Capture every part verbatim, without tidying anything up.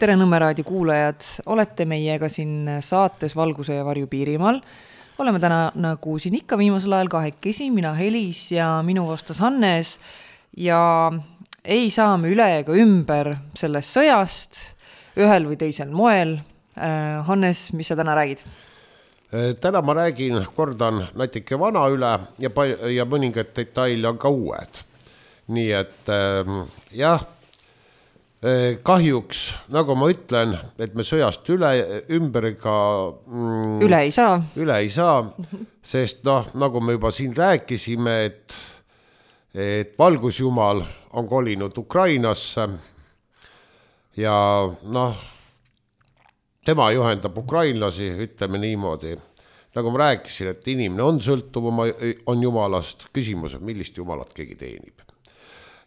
tere Nõmme-raadio kuulajad, olete meiega siin saates Valguse ja varju Piirimaal. Oleme täna nagu siin ikka viimasel ajal kahekesi, mina Helis ja minu vastas Hannes ja ei saa me üle ega ümber sellest sõjast ühel või teisel moel. Hannes, mis sa täna räägid? Täna ma räägin, kordan natuke vana üle ja, ja mõningad detaili on ka uued. Nii et jah, kahjuks, nagu ma ütlen, et me sõjast üle ümberiga mm, üle ei saa, üle ei saa sest noh, nagu me juba siin rääkisime, et, et valgusjumal on kolinud Ukrainasse ja noh, tema juhendab ukrainlasi, ütleme niimoodi. Nagu ma rääkisin, et inimene on sõltuv, on jumalast, küsimus on, millist jumalat keegi teenib.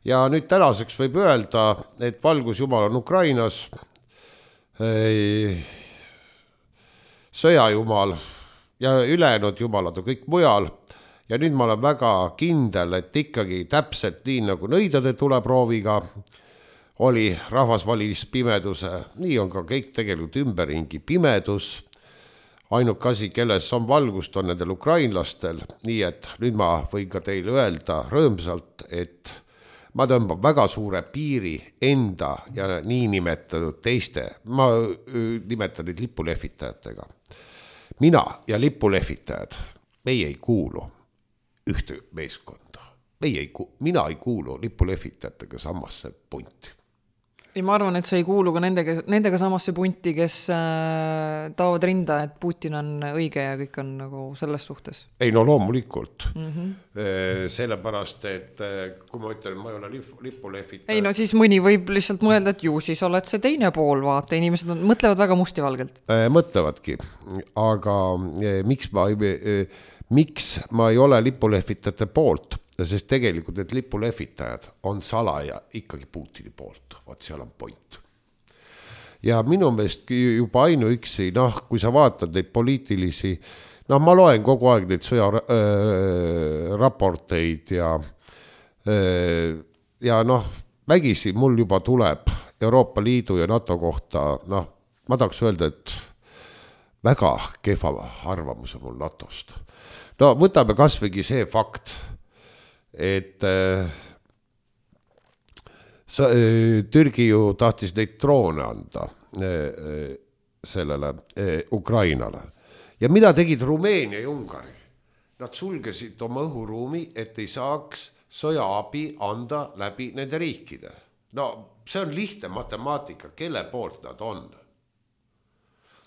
Ja nüüd tänaseks võib öelda, et valgusjumal on Ukrainas, sõjajumal ja ülejäänud jumalad on kõik mujal. Ja nüüd ma olen väga kindel, et ikkagi täpselt nii nagu nõidade tuleprooviga oli rahvas valis pimeduse, nii on ka kõik tegelikult ümberringi pimedus. Ainuk asi, kelles on valgust, on nendel ukrainlastel, nii et nüüd ma võin ka teile öelda rõõmsalt, et ma tõmban väga suure piiri enda ja nii nimetatud teiste, ma nimetan neid lipulehvitajatega. Mina ja lipulehvitajad, meie ei kuulu ühte meeskonda. Meie ei, mina ei kuulu lipulehvitajatega samasse punti. Ja ma arvan, et sa ei kuulu ka nendega, nendega samasse punti, kes äh, taavad rinda, et Putin on õige ja kõik on nagu selles suhtes. Ei, no loomulikult. Mm-hmm. E, sellepärast, et kui ma ütlen, ma ei ole lipp, lipulehvitaja. Ei, no siis mõni võib lihtsalt mõelda, et ju siis oled see teine pool, vaata. Inimesed on, mõtlevad väga mustivalgelt. E, mõtlevadki, aga e, miks, ma, e, miks ma ei ole lipulehvitajate poolt? Sest tegelikult, et lipulehvitajad on salaja ikkagi Putini poolt. Vaat seal on point. Ja minu meelest juba ainuüksi, noh, kui sa vaatad neid poliitilisi, noh, ma loen kogu aeg neid sõja äh, raporteid ja, äh, ja noh, vägisi mul juba tuleb Euroopa Liidu ja NATO kohta, noh, ma tahaks öelda, et väga kehva arvamuse mul NATOst. No võtame kasvõigi see fakt, et äh, sa, äh, Türgi ju tahtis neid droone anda äh, sellele äh, Ukrainale. Ja mida tegid Rumeenia ja Ungari? Nad sulgesid oma õhuruumi, et ei saaks sõjaabi anda läbi nende riikide. No see on lihtne matemaatika, kelle poolt nad on.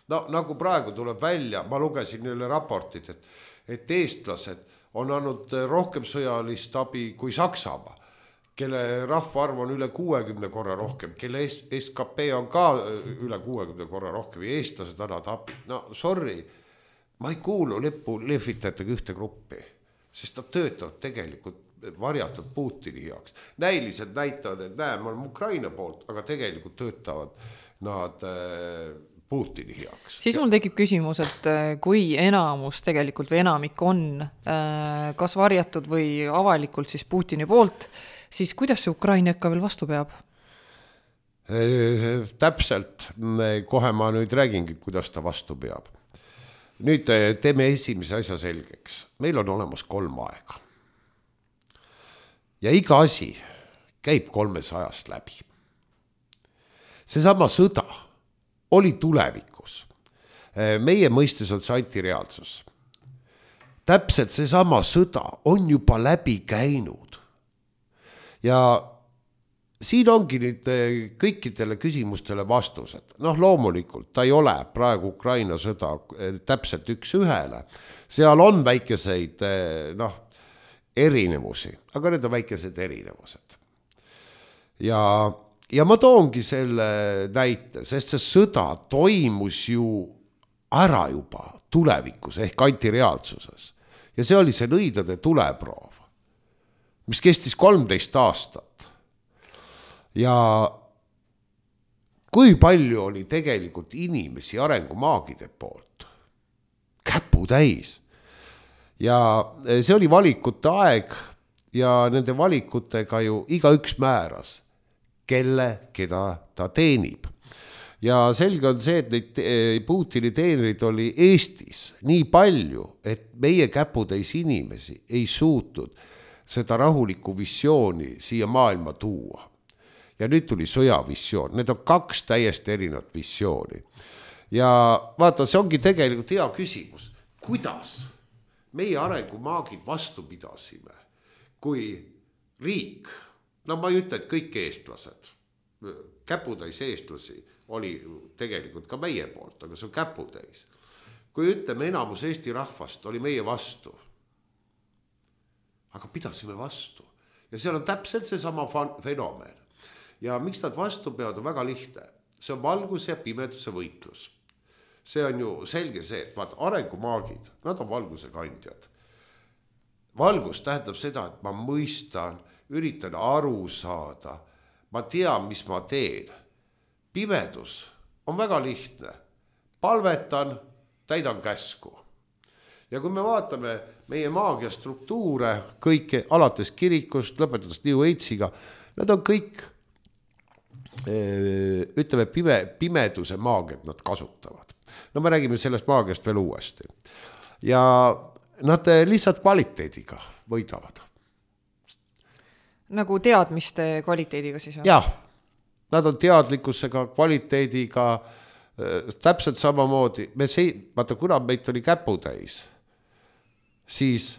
No nagu praegu tuleb välja, ma lugesin neile raportid, et, et eestlased on andnud rohkem sõjalist abi kui Saksamaa, kelle rahvaarv on üle kuuekümne korra rohkem, kelle S K P on ka üle kuuekümne korra rohkem ja eestlased annavad abi. No sorry, ma ei kuulu lipu lehvitajatega ühte gruppi, sest nad töötavad tegelikult varjatud Putini heaks. Näiliselt näitavad, et näe, ma olen Ukraina poolt, aga tegelikult töötavad nad Putini heaks. Siis mul tekib küsimus, et kui enamus tegelikult või enamik on kas varjatud või avalikult siis Putini poolt, siis kuidas see Ukraina ikka veel vastu peab? Täpselt, kohe ma nüüd räägingi, kuidas ta vastu peab. Nüüd teeme esimese asja selgeks. Meil on olemas kolm aega. Ja iga asi käib kolmesajast läbi. Seesama sõda oli tulevikus. Meie mõistes on see antireaalsus. Täpselt seesama sõda on juba läbi käinud. Ja siin ongi nüüd kõikidele küsimustele vastused. Noh, loomulikult, ta ei ole praegu Ukraina sõda täpselt üks ühele. Seal on väikeseid noh, erinevusi, aga need on väikesed erinevused. Ja Ja ma toongi selle näite, sest see sõda toimus ju ära juba tulevikus ehk antireaalsuses. Ja see oli see nõidade tuleproov, mis kestis kolmteist aastat. Ja kui palju oli tegelikult inimesi arengumaagide poolt? Käpu täis. Ja see oli valikute aeg ja nende valikutega ju iga üks määras, kelle, keda ta teenib. ja selge on see, et neid Putini teenerid oli Eestis nii palju, et meie käputäis inimesi ei suutnud seda rahulikku visiooni siia maailma tuua. Ja nüüd tuli sõjavisioon, need on kaks täiesti erinevat visiooni. Ja vaata, see ongi tegelikult hea küsimus, kuidas meie arengumaagid vastu pidasime, kui riik, no ma ei ütle, et kõik eestlased, käputäis eestlasi oli tegelikult ka meie poolt, aga see on käputäis. Kui ütleme, enamus Eesti rahvast oli meie vastu, aga pidasime vastu. Ja seal on täpselt see sama fenomen. Ja miks nad vastu peavad, on väga lihtne. See on valguse ja pimeduse võitlus. See on ju selge see, et vaat arengumaagid, nad on valguse kandjad. Valgus tähendab seda, et ma mõistan, üritan aru saada, ma tean, mis ma teen. Pimedus on väga lihtne. Palvetan, täidan käsku. Ja kui me vaatame meie maagia struktuure, kõike alates kirikust, lõpetades New Ageiga, nad on kõik, ütleme, pime, pimeduse maagiat nad kasutavad. No me räägime sellest maagiast veel uuesti. Ja nad lihtsalt kvaliteediga võidavad. Nagu teadmiste kvaliteediga siis? Jah, nad on teadlikkusega, kvaliteediga, täpselt samamoodi. Me see, vaata, kuna meid oli käputäis, siis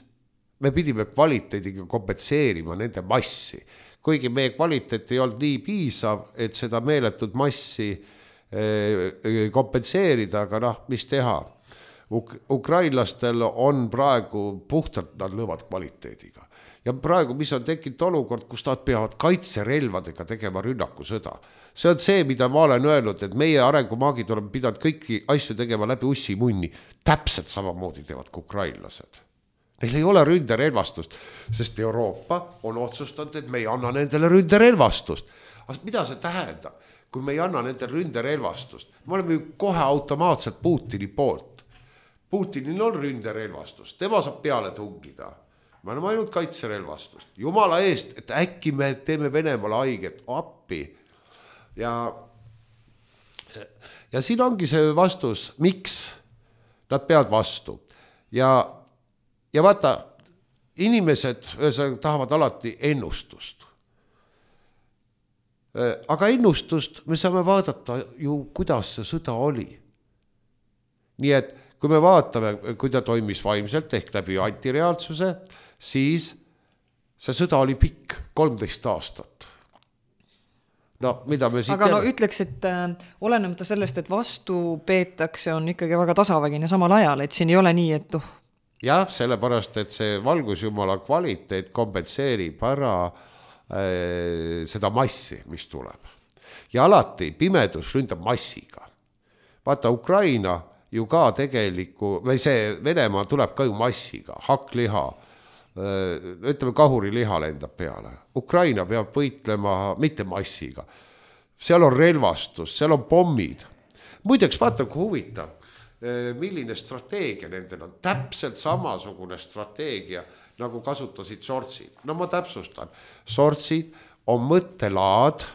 me pidime kvaliteediga kompenseerima nende massi. Kuigi meie kvaliteet ei olnud nii piisav, et seda meeletud massi kompenseerida, aga noh, mis teha? Uk- ukrainlastel on praegu puhtalt, nad lõvad kvaliteediga. Ja praegu, mis on tekkinud olukord, kus nad peavad kaitserelvadega tegema rünnakusõda. See on see, mida ma olen öelnud, et meie arengumaagid oleme pidanud kõiki asju tegema läbi ussimunni. Täpselt samamoodi teevad kui ukrainlased. Neil ei ole ründerelvastust, sest Euroopa on otsustanud, et me ei anna nendele ründerelvastust. Aga mida see tähendab? Kui me ei anna nendele ründerelvastust, me oleme ju kohe automaatselt Putini poolt. Putinil on ründerelvastust, tema saab peale tungida. Me oleme ainult kaitserelvastust. Jumala eest, et äkki me teeme Venemaale haiget appi. Ja, ja siin ongi see vastus, miks nad peavad vastu. Ja, ja vaata, inimesed ühesõnaga tahavad alati ennustust. Aga ennustust me saame vaadata ju, kuidas see sõda oli. Nii et kui me vaatame, kui ta toimis vaimselt ehk läbi antireaalsuse, siis see sõda oli pikk, kolmteist aastat. No, mida me siit aga no ütleks, et äh, olenemata sellest, et vastu peetakse, on ikkagi väga tasavägine samal ajal, et siin ei ole nii, et uh. Jah, sellepärast, et see valgusjumala kvaliteet kompenseerib ära äh, seda massi, mis tuleb. Ja alati pimedus ründab massiga. Vaata, Ukraina ju ka tegeliku, või see Venemaa tuleb ka ju massiga, hakkliha, ütleme kahuriliha lendab peale. Ukraina peab võitlema mitte massiga. Seal on relvastus, seal on pommid. Muideks vaata, kui huvitav, milline strateegia nendel on. Täpselt samasugune strateegia, nagu kasutasid sortsid. No ma täpsustan. Sortsid on mõttelaad,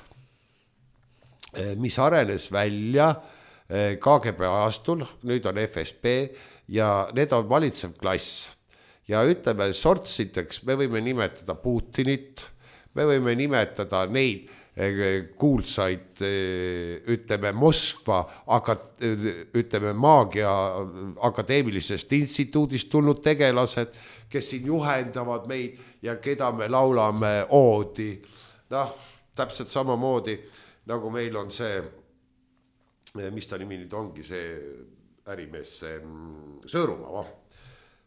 mis arenes välja K G B aastul, nüüd on F S B ja need on valitsev klass. Ja ütleme, sortsideks me võime nimetada Putinit, me võime nimetada neid kuulsaid, ütleme, Moskva, ütleme, maagia akadeemilisest instituudist tulnud tegelased, kes siin juhendavad meid ja keda me laulame oodi. Noh, täpselt samamoodi, nagu meil on see, mis ta nimi nüüd ongi, see ärimees, see Sõõrumaa, va?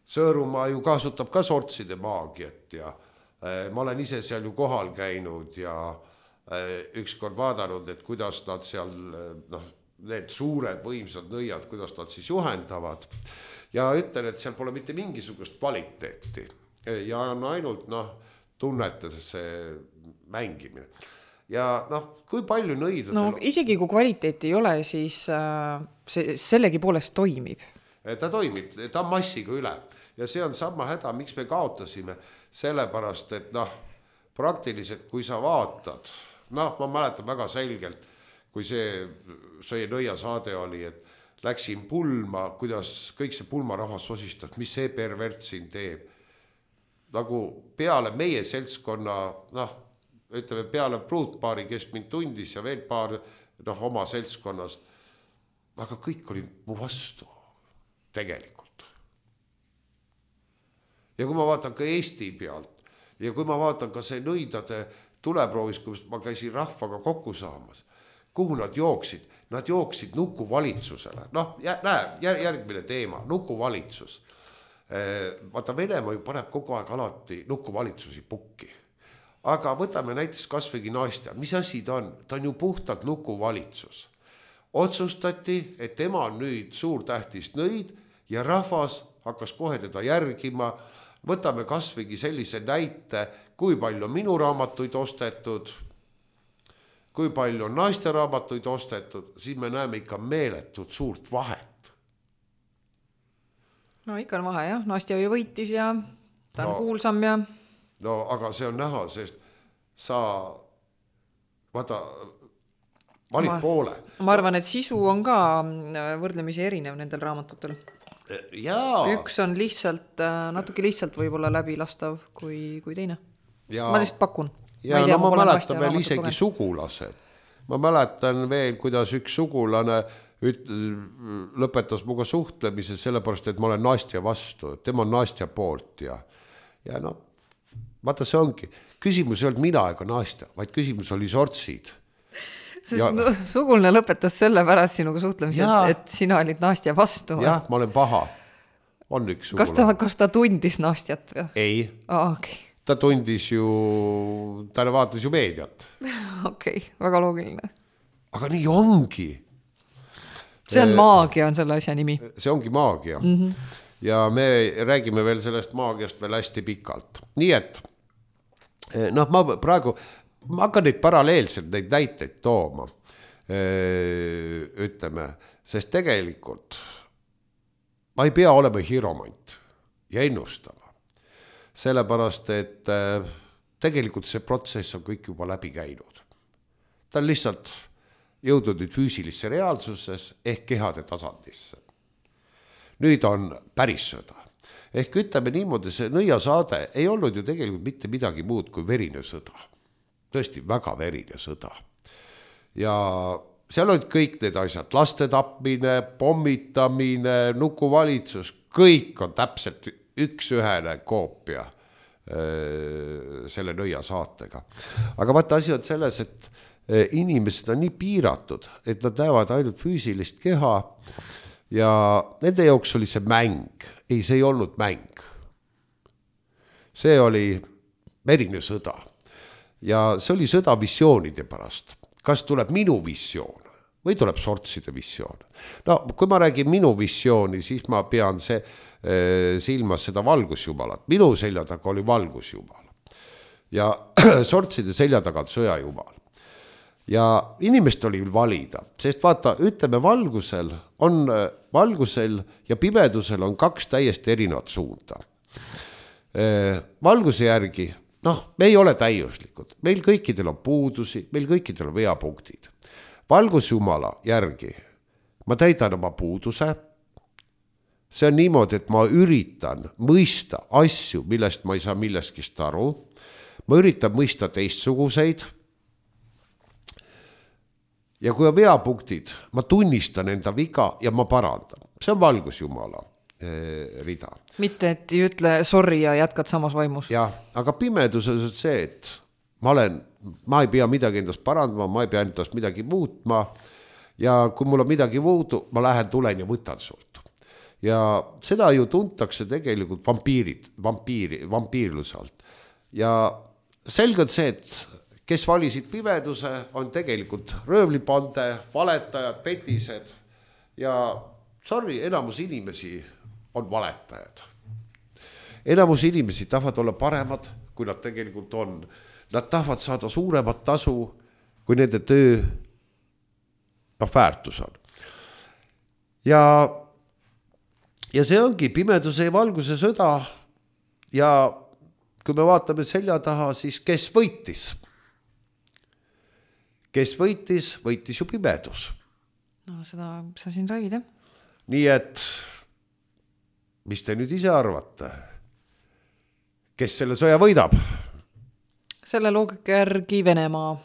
Sõõrumaa ju kasutab ka sortside maagiat ja äh, ma olen ise seal ju kohal käinud ja äh, ükskord vaadanud, et kuidas nad seal, noh, need suured võimsad nõiad, kuidas nad siis juhendavad. Ja ütlen, et seal pole mitte mingisugust kvaliteeti ja on ainult, noh, tunnetas see mängimine. Ja noh, kui palju nõid... No isegi kui kvaliteeti ei ole, siis äh, see sellegi poolest toimib. Ta toimib, ta on massiga üle ja see on sama häda, miks me kaotasime, sellepärast, et noh, praktiliselt kui sa vaatad, noh, ma mäletan väga selgelt, kui see, see nõiasaade oli, et läksin pulma, kuidas kõik see pulmarahvas sosistas, mis see pervert siin teeb. Nagu peale meie seltskonna, noh, ütleme peale pruutpaari, kes mind tundis ja veel paar noh, oma seltskonnast, aga kõik olid mu vastu tegelikult. Ja kui ma vaatan ka Eesti pealt ja kui ma vaatan ka see nõidade tuleproovis, kui ma käisin rahvaga kokku saamas, kuhu nad jooksid? Nad jooksid nukuvalitsusele. Noh, näe, järgmine teema, nukuvalitsus. Vaata, Venemaa ju paneb kogu aeg alati nukuvalitsusi pukki. Aga võtame näiteks kasvõigi Nastja. Mis asi ta on? Ta on ju puhtalt nukuvalitsus. Otsustati, et tema on nüüd suur tähtis nõid ja rahvas hakkas kohe teda järgima. Võtame kasvõigi sellise näite, kui palju minu raamatuid ostetud, kui palju on Nastja raamatuid ostetud, siis me näeme ikka meeletut suurt vahet. No ikka on vahe, jah. Nastja ju võitis ja ta on no, kuulsam ja... No aga see on näha, sest sa vaata, valid ma, poole. Ma arvan, et sisu on ka võrdlemisi erinev nendel raamatutel. Jaa. Üks on lihtsalt, natuke lihtsalt võib-olla läbilastav kui, kui teine. Ja. Ma lihtsalt pakun. Ja ma, tea, no, ma mäletan veel isegi kogen. Sugulased. Ma mäletan veel, kuidas üks sugulane üt, lõpetas muga suhtlemise sellepärast, et ma olen Nastja vastu. Tema on Nastja poolt ja, ja no, vaata see ongi. Küsimus ei olnud mina ega Nastja, vaid küsimus oli sortsid. Sest ja, no, sugulne lõpetas selle pärast sinuga suhtlemise, et, et sina olid Nastja vastu. Jah, ma olen paha. On üks sugulane. Kas ta, kas ta tundis Nastjat? Või? Ei. Ah, okei. Okay. Ta tundis ju, ta vaatas ju meediat. Okei, okay, väga loogiline. Aga nii ongi. See on maagia, on selle asja nimi. See ongi maagia. Mm-hmm. Ja me räägime veel sellest maagiast veel hästi pikalt. Nii et, noh, ma praegu, ma hakkan neid paralleelselt neid näiteid tooma. Ütleme, sest tegelikult ma ei pea olema hiromant ja ennustama. Sellepärast, et tegelikult see protsess on kõik juba läbi käinud. Ta on lihtsalt jõudnud nüüd füüsilisse reaalsuses ehk kehade tasandisse. Nüüd on päris sõda. Ehk ütleme niimoodi, see nõiasaade ei olnud ju tegelikult mitte midagi muud kui verine sõda. Tõesti väga verine sõda. Ja seal olid kõik need asjad, laste tapmine, pommitamine, nukuvalitsus, kõik on täpselt üks ühene koopia selle nõia saatega. Aga vaata asi on selles, et inimesed on nii piiratud, et nad näevad ainult füüsilist keha ja nende jaoks oli see mäng. Ei, see ei olnud mäng. See oli verine sõda. Ja see oli sõda visioonide pärast. Kas tuleb minu visioon või tuleb sortside visioon? No, kui ma räägin minu visiooni, siis ma pean see silmas seda valgusjumalat. Minu selja taga oli valgusjumal. Ja sortside selja taga on sõjajumal. Ja inimest oli valida, sest vaata, ütleme valgusel on, valgusel ja pimedusel on kaks täiesti erinevat suunda. Valguse järgi, noh, me ei ole täiuslikud. Meil kõikidel on puudusi, meil kõikidel on veapunktid. Valgusjumala järgi ma täidan oma puuduse. See on niimoodi, et ma üritan mõista asju, millest ma ei saa milleskist aru. Ma üritan mõista teistsuguseid. Ja kui on veapunktid, ma tunnistan enda viga ja ma parandan. See on valgusjumala rida. Mitte, et ei ütle sorry ja jätkad samas vaimus. Ja, aga pimeduses on see, et ma olen, ma ei pea midagi endast parandama, ma ei pea endast midagi muutma. Ja kui mul on midagi muudu, ma lähen tulen ja võtan sult. Ja seda ju tuntakse tegelikult vampiirid, vampiiri, vampiirlusalt. Ja selge on see, et kes valisid pimeduse, on tegelikult röövlipande, valetajad, petised ja sorry, enamus inimesi on valetajad. Enamus inimesi tahavad olla paremad, kui nad tegelikult on. Nad tahavad saada suuremat tasu, kui nende töö noh, väärtus on. Ja Ja see ongi pimeduse ja valguse sõda ja kui me vaatame selja taha, siis kes võitis? kes võitis, võitis ju pimedus. No seda sa siin räägid, jah. Nii et, mis te nüüd ise arvate? Kes selle sõja võidab? Selle loogika järgi Venemaa.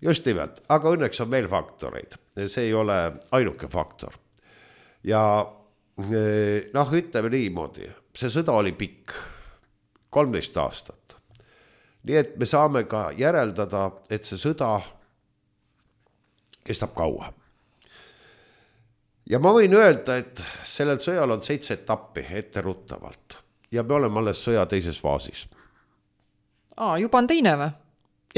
Just nimelt, aga õnneks on veel faktoreid. See ei ole ainuke faktor. Ja noh, ütleme niimoodi, see sõda oli pikk, kolmteist aastat. Nii et me saame ka järeldada, et see sõda kestab kaua. Ja ma võin öelda, et sellel sõjal on seitse etappi etteruttavalt ja me oleme alles sõja teises faasis. Aa, juba on teine või?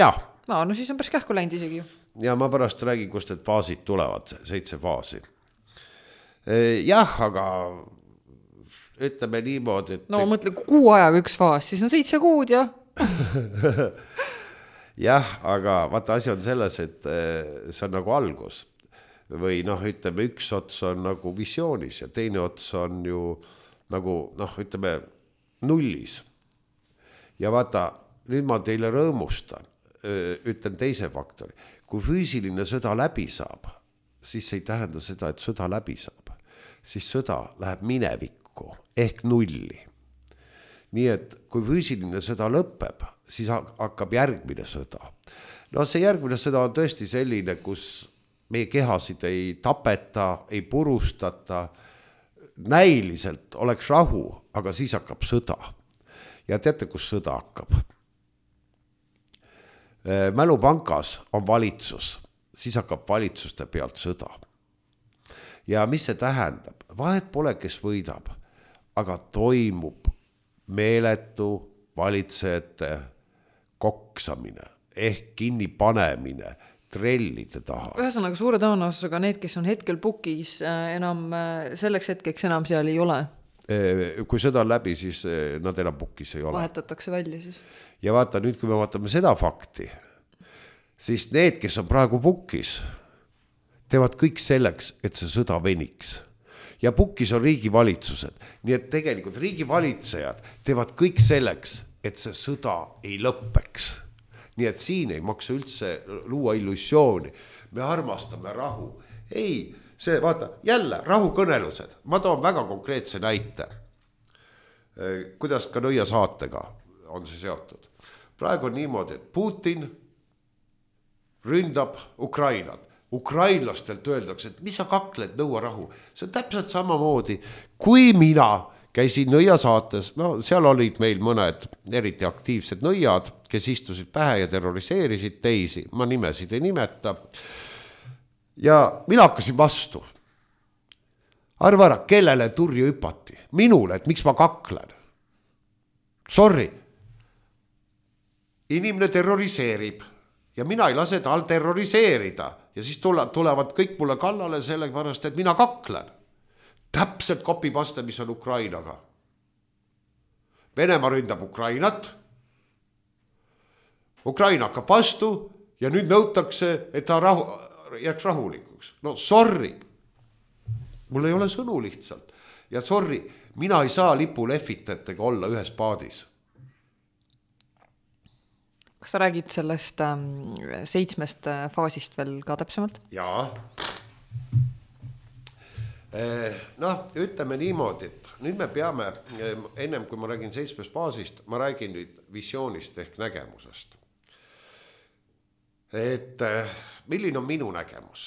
Jah. Aa, no siis on päris kähku läinud isegi. Ja ma pärast räägin, kust need faasid tulevad, seitse faasi. Jah, aga ütleme niimoodi, et... No ma mõtlen, kuu ajaga üks faas, siis on seitse kuud ja... Jah, aga vaata, asi on selles, et see on nagu algus. Või noh, ütleme, üks ots on nagu visioonis ja teine ots on ju nagu, noh, ütleme, nullis. Ja vaata, nüüd ma teile rõõmustan, ütlen teise faktori. Kui füüsiline sõda läbi saab, siis ei tähenda seda, et sõda läbi saab. Siis sõda läheb minevikku ehk nulli. Nii et kui füüsiline sõda lõpeb, siis hakkab järgmine sõda. No see järgmine sõda on tõesti selline, kus meie kehasid ei tapeta, ei purustata, näiliselt oleks rahu, aga siis hakkab sõda. Ja teate, kus sõda hakkab? Mälupankas on valitsus, siis hakkab valitsuste pealt sõda. Ja mis see tähendab? Vahet pole, kes võidab, aga toimub meeletu valitsejate koksamine ehk kinni panemine trellide taha. Ühesõnaga suure tõenäosusega need, kes on hetkel pukis, enam selleks hetkeks enam seal ei ole. Kui sõda on läbi, siis nad enam pukis ei ole. Vahetatakse välja siis. Ja vaata, nüüd kui me vaatame seda fakti, siis need, kes on praegu pukis, teevad kõik selleks, et see sõda veniks. Ja pukis on riigivalitsused. Nii et tegelikult riigivalitsejad teevad kõik selleks, et see sõda ei lõppeks. Nii et siin ei maksa üldse luua illusiooni. Me armastame rahu. Ei, see, vaata, jälle rahukõnelused. Ma toon väga konkreetse näite. Kuidas ka Nõia saatega on see seotud. Praegu on niimoodi, et Putin ründab Ukrainat. Ukrainlastelt öeldakse, et mis sa kakled, nõua rahu. See on täpselt samamoodi, kui mina käisin Nõia saates, no seal olid meil mõned eriti aktiivsed nõiad, kes istusid pähe ja terroriseerisid teisi, ma nimesid ei nimeta. Ja mina hakkasin vastu. Arva ära, kellele turju hüpati? Minule, et miks ma kaklen? Sorry. Inimene terroriseerib ja mina ei lase tal terroriseerida ja siis tulevad kõik mulle kallale sellepärast, et mina kaklen. Täpselt kopipaste, mis on Ukrainaga. Venemaa ründab Ukrainat. Ukraina hakkab vastu ja nüüd nõutakse, et ta rahu, jääks rahulikuks. No sorry. Mul ei ole sõnu lihtsalt. Ja sorry, mina ei saa lipulehvitajatega olla ühes paadis. Kas sa räägid sellest ähm, seitsmest faasist veel ka täpsemalt? Jaa. Noh, ütleme niimoodi, et nüüd me peame, ennem kui ma räägin seitsmest faasist, ma räägin nüüd visioonist ehk nägemusest. Et milline on minu nägemus?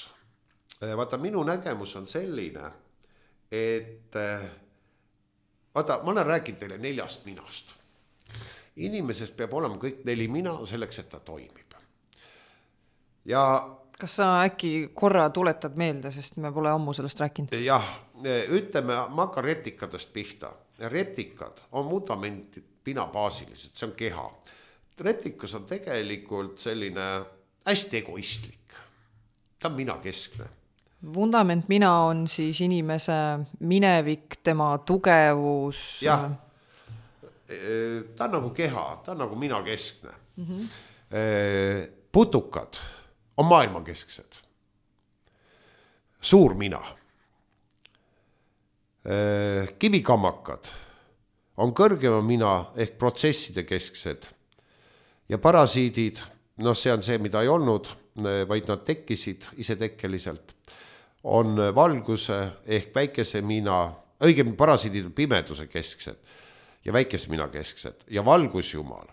Vaata, minu nägemus on selline, et vaata, ma olen rääkinud teile neljast minast. Inimesest peab olema kõik neli mina selleks, et ta toimib. Ja kas sa äkki korra tuletad meelde, sest me pole ammu sellest rääkinud? Jah, ütleme, ma hakkan retikadest pihta. Retikad on vundamendid pinabaasilised, see on keha. Retikas on tegelikult selline hästi egoistlik. Ta on mina keskne. Vundament mina on siis inimese minevik, tema tugevus. Jah, ta on nagu keha, ta on nagu mina keskne. Mm-hmm. Putukad on maailmakesksed. Suur mina. Kivikammakad on kõrgema mina ehk protsesside kesksed ja parasiidid noh, see on see, mida ei olnud, vaid nad tekkisid isetekkeliselt, on valguse ehk väikese mina, õigemini parasiidid pimeduse kesksed ja väikese mina kesksed ja valgusjumal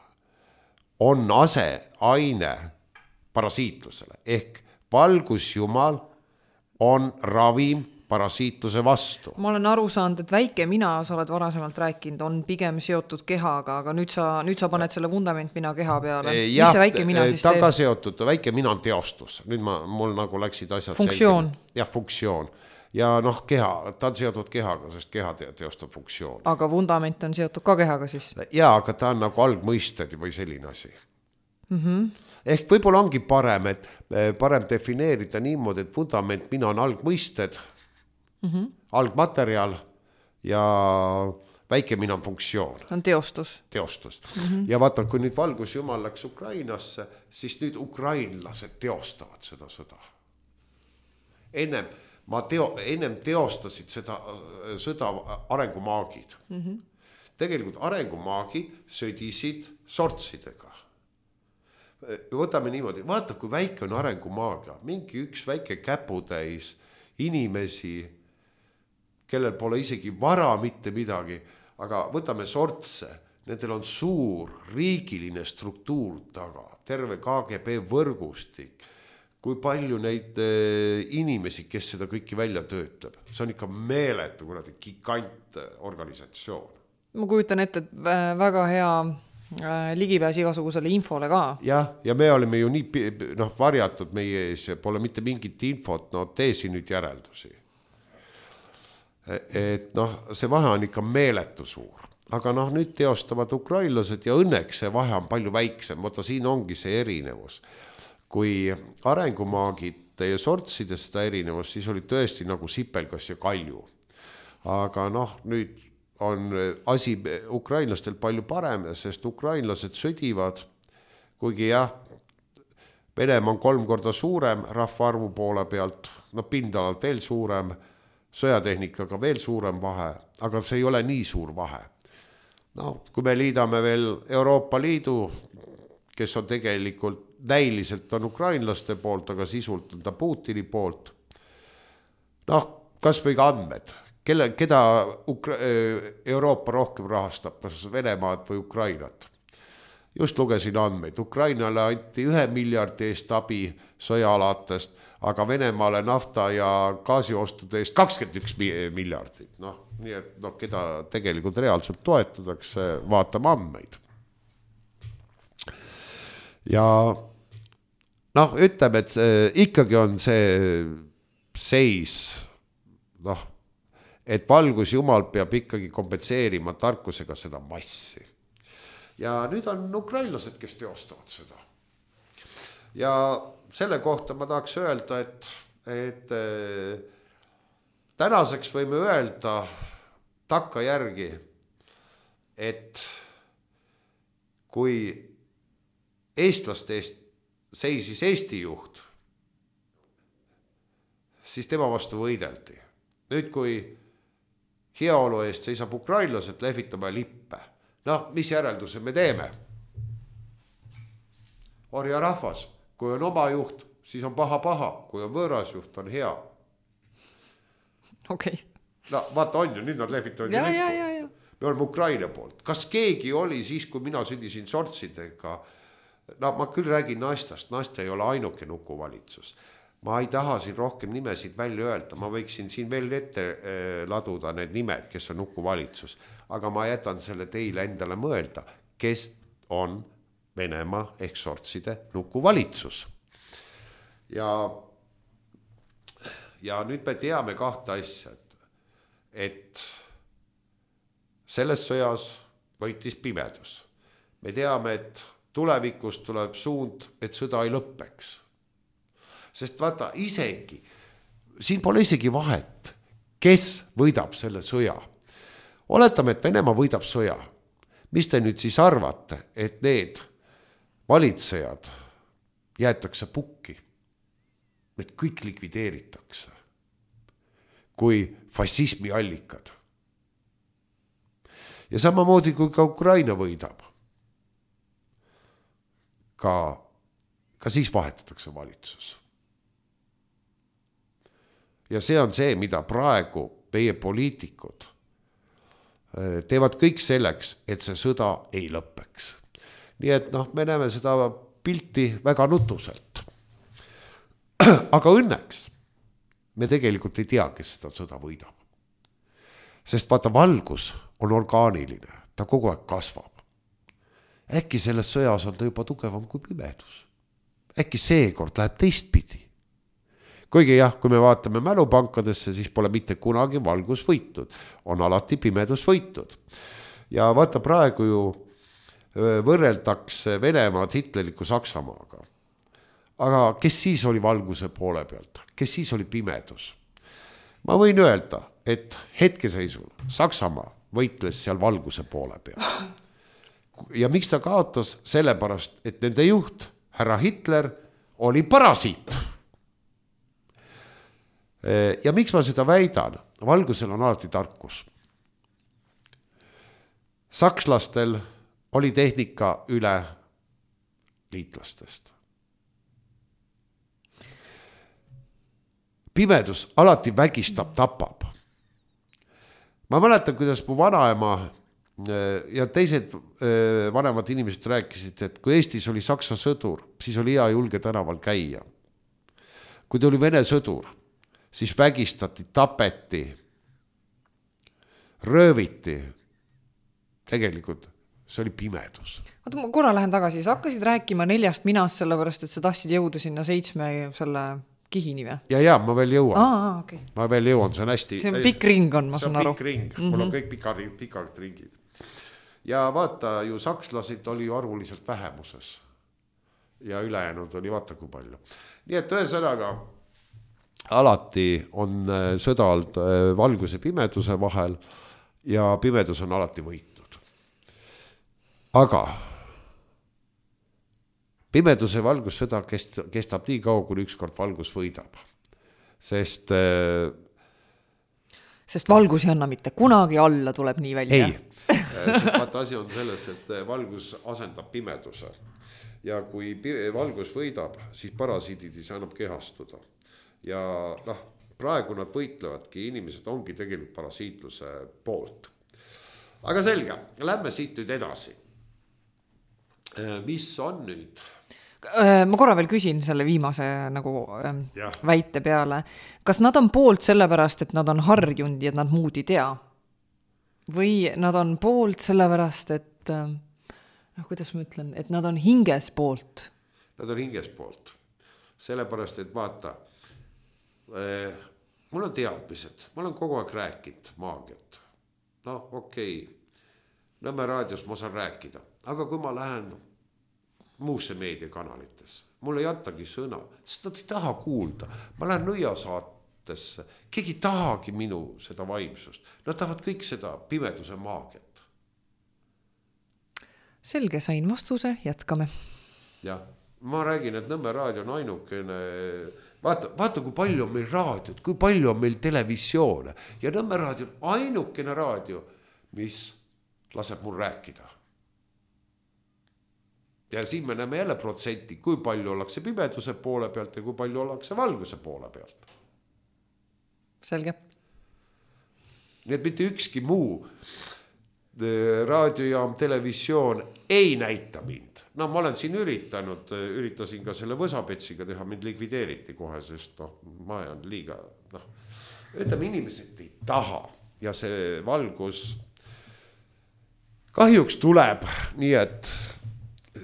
on aseaine parasiitlusele ehk valgusjumal on ravim parasiitluse vastu. Ma olen aru saanud, et väike mina, sa oled varasemalt rääkinud, on pigem seotud kehaga, aga nüüd sa, nüüd sa paned selle vundament mina keha peale. Ja, mis see väike mina siis teeb? Ta ka seotud, väike mina on teostus. Nüüd ma, mul nagu läksid asjad funktsioon. Selgele. Jah, funktsioon. Ja noh, keha, ta on seotud kehaga, sest keha teostab funktsioon. Aga vundament on seotud ka kehaga siis? Jaa, aga ta on nagu algmõisted või selline asi. Mm-hmm. Ehk võib-olla ongi parem, et parem defineerida niimoodi, et vundament mina on algmõisted, mm-hmm. algmaterjal ja väike mina on funktsioon. On teostus. Teostus. Mm-hmm. Ja vaata, kui nüüd valgusjumal läks Ukrainasse, siis nüüd ukrainlased teostavad seda sõda. Ennem, ma teo, ennem teostasid seda sõda arengumaagid. Mm-hmm. Tegelikult arengumaagid sõdisid sortsidega. Võtame niimoodi, vaata kui väike on arengumaagia, mingi üks väike käputäis inimesi, kellel pole isegi vara mitte midagi, aga võtame sortse, nendel on suur riigiline struktuur taga, terve K G B võrgustik, kui palju neid inimesi, kes seda kõiki välja töötab, see on ikka meeletu, kuradi gigant organisatsioon. Ma kujutan ette, et väga hea ligipääs igasugusele infole ka. Jah, ja me oleme ju nii noh, varjatud meie ees ja pole mitte mingit infot, no tee siin nüüd järeldusi. Et noh, see vahe on ikka meeletu suur. Aga noh, nüüd teostavad ukrainlased ja õnneks see vahe on palju väiksem. Võtta siin ongi see erinevus. Kui arengumaagid ja sortside seda erinevus, siis oli tõesti nagu sipelgas ja kalju. Aga noh, nüüd on asi ukrainlastel palju parem, sest ukrainlased sõdivad, kuigi jah, Venemaa on kolm korda suurem rahvaarvu poole pealt, no pindalalt veel suurem, sõjatehnikaga veel suurem vahe, aga see ei ole nii suur vahe. No, kui me liidame veel Euroopa Liidu, kes on tegelikult näiliselt on ukrainlaste poolt, aga sisult on ta Putini poolt, noh, kas või ka andmed. Kelle, keda Ukra- Euroopa rohkem rahastab, kas Venemaad või Ukrainat. Just lugesin andmeid. Ukrainale anti ühe miljardi eest abi sõjaalatest, aga Venemaale nafta ja gaasiostude eest kakskümmend üks miljardit. No, nii et no, keda tegelikult reaalselt toetatakse, vaatame andmeid. Ja noh, ütleme, et ikkagi on see seis, noh, et valgusjumal peab ikkagi kompenseerima tarkusega seda massi. Ja nüüd on ukrainlased, kes teostavad seda. Ja selle kohta ma tahaks öelda, et, et tänaseks võime öelda takka järgi, et kui eestlaste eest seisis Eesti juht, siis tema vastu võideldi. Nüüd, kui heaolu eest seisab ukrainlased, lehvitame lippe. Noh, mis järelduse me teeme? Orja rahvas, kui on oma juht, siis on paha paha, kui on võõras juht, on hea. Okei. Okay. No vaata on ju, nüüd nad lehvitavad ja, ja, ja, ja. Me oleme Ukraina poolt. Kas keegi oli siis, kui mina sündisin sortsidega? No ma küll räägin naistast, naiste ei ole ainuke nukuvalitsus. Ma ei taha siin rohkem nimesid välja öelda, ma võiksin siin veel ette laduda need nimed, kes on nukuvalitsus, aga ma jätan selle teile endale mõelda, kes on Venemaa ehk sortside nukuvalitsus. Ja, ja nüüd me teame kahte asja, et selles sõjas võitis pimedus. Me teame, et tulevikus tuleb suund, et sõda ei lõppeks. Sest vaata, isegi, siin pole isegi vahet, kes võidab selle sõja. Oletame, et Venemaa võidab sõja. Mis te nüüd siis arvate, et need valitsejad jäetakse pukki? Need kõik likvideeritakse kui fašismi allikad. Ja samamoodi kui ka Ukraina võidab. Ka ka siis vahetatakse valitsus. Ja see on see, mida praegu meie poliitikud teevad kõik selleks, et see sõda ei lõppeks. Nii et noh, me näeme seda pilti väga nutuselt. Aga õnneks me tegelikult ei tea, kes seda sõda võidab. Sest vaata, valgus on orgaaniline, ta kogu aeg kasvab. Äkki selles sõjas on ta juba tugevam kui pimedus. Äkki seekord läheb teistpidi. Kuigi jah, kui me vaatame mälupankadesse, siis pole mitte kunagi valgus võitnud. On alati pimedus võitud. Ja vaata, praegu ju võrreldakse Venemaad hitleriku Saksamaaga. Aga kes siis oli valguse poole pealt? Kes siis oli pimedus? Ma võin öelda, et hetkeseisul Saksamaa võitles seal valguse poole peal. Ja miks ta kaotas? Sellepärast, et nende juht, härra Hitler, oli parasiit. Ja miks ma seda väidan? Valgusel on alati tarkus. Sakslastel oli tehnika üle liitlastest. Pimedus alati vägistab, tapab. Ma mäletan, kuidas mu vanaema ja teised vanemad inimesed rääkisid, et kui Eestis oli Saksa sõdur, siis oli hea julge tänaval käia. Kui ta oli Vene sõdur, siis vägistati, tapeti, rööviti. Tegelikult see oli pimedus. Vaata, ma korra lähen tagasi, sa hakkasid rääkima neljast minast, sellepärast, et sa tahtsid jõuda sinna seitsme selle kihini või? Ja, ja, ma veel jõuan. Aa, okay. Ma veel jõuan, see on hästi... See on pikk ring on, ma saan aru. See on pikk ring, mm-hmm. Mul on kõik pika, pikad ringid. Ja vaata, ju sakslasid oli ju arvuliselt vähemuses. Ja ülejäänud oli vaata kui palju. Nii et ühesõnaga, alati on sõda olnud valguse pimeduse vahel ja pimedus on alati võitnud. Aga pimeduse valgus sõda kestab nii kaua, kui ükskord valgus võidab. Sest Sest valgus ei anna mitte kunagi alla, tuleb nii välja. Ei, sest vaata asi on selles, et valgus asendab pimeduse. Ja kui valgus võidab, siis parasiidid ei saa enam kehastuda. Ja noh, praegu nad võitlevadki, inimesed ongi tegelikult parasiitluse poolt. Aga selge, lähme siit nüüd edasi. Mis on nüüd? Ma korra veel küsin selle viimase nagu ja. väite peale. Kas nad on poolt sellepärast, et nad on harjunud ja nad muud ei tea? Või nad on poolt sellepärast, et noh, kuidas ma ütlen, et nad on hinges poolt? Nad on hinges poolt. Sellepärast, et vaata, eh, mul on teadmised, ma olen kogu aeg rääkinud maagiat. No okei, Nõmme raadios ma saan rääkida, aga kui ma lähen muusse meediakanalitesse, mul ei antagi sõna, sest nad ei taha kuulda. Ma lähen nõiasaatesse, keegi tahagi minu seda vaimsust. Nad tahavad kõik seda pimeduse maagiat. Selge, sain vastuse, jätkame. Jah, ma räägin, et Nõmme raadio on ainukene, vaata, vaata kui palju on meil raadiot, kui palju on meil televisioone ja Nõmme raadio on ainukene raadio, mis laseb mul rääkida. Ja siin me näeme jälle protsenti, kui palju ollakse pimeduse poole pealt ja kui palju ollakse valguse poole pealt. Selge. Nii et mitte ükski muu raadiojaam, televisioon ei näita mind. No ma olen siin üritanud, üritasin ka selle võsapetsiga teha, mind likvideeriti kohe, sest no, ma olen liiga, noh, ütleme, inimesed ei taha ja see valgus kahjuks tuleb, nii et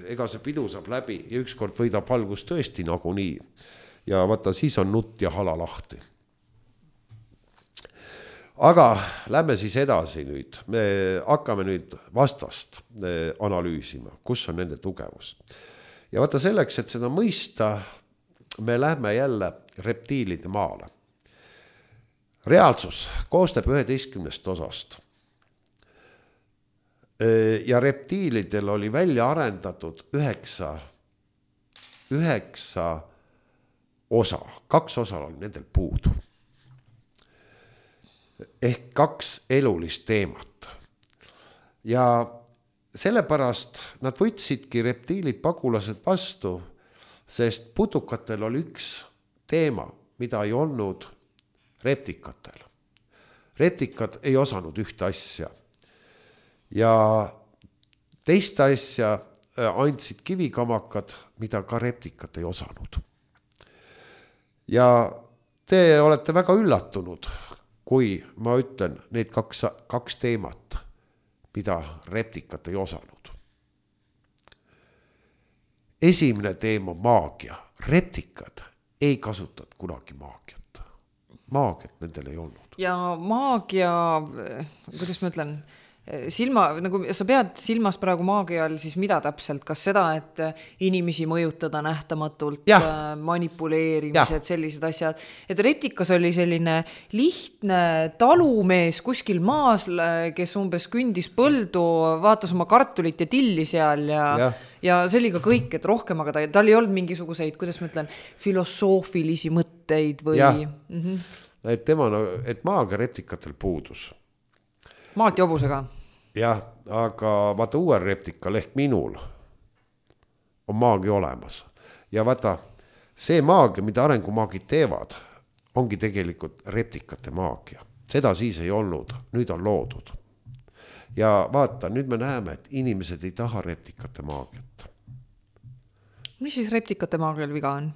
ega see pidu saab läbi ja ükskord võidab valgus tõesti nagu nii. Ja vaata, siis on nutt ja hala lahti. Aga lähme siis edasi nüüd. Me hakkame nüüd vastast analüüsima, kus on nende tugevus. Ja vaata selleks, et seda mõista, me lähme jälle reptiilide maale. Reaalsus koostab üheteistkümnest osast. Ja reptiilidel oli välja arendatud üheksa, üheksa osa. Kaks osa oli nendel puudu. Ehk kaks elulist teemat. Ja sellepärast nad võtsidki reptiilid pagulased vastu sest putukatel oli üks teema, mida ei olnud reptikatel. Reptikad ei osanud ühte asja ja teist asja andsid kivikamakad, mida ka reptikad ei osanud. Ja te olete väga üllatunud, kui ma ütlen need kaks, kaks teemat, mida reptikad ei osanud. Esimene teema maagia. Reptikad ei kasutanud kunagi maagiat. Maagiat nendel ei olnud. Ja maagia, kuidas ma ütlen, silma, nagu sa pead silmas praegu maagia all siis mida täpselt, kas seda, et inimesi mõjutada nähtamatult, ja. manipuleerimised, ja. sellised asjad, et reptikas oli selline lihtne talumees kuskil maas, kes umbes kündis põldu, vaatas oma kartulit ja tilli seal ja, ja. ja see oli ka kõik, et rohkem, aga ta, tal ei olnud mingisuguseid, kuidas ma ütlen, filosoofilisi mõtteid või... Mm-hmm. Et, tema, et maagia reptikatel puudus. Maalt ja hobusega. Jah, aga vaata uuel reptikal ehk minul on maagia olemas. Ja vaata, see maagia, mida arengumaagid teevad, ongi tegelikult reptikate maagia. Seda siis ei olnud, nüüd on loodud. Ja vaata, nüüd me näeme, et inimesed ei taha reptikate maagiat. Mis siis reptikate maagial viga on?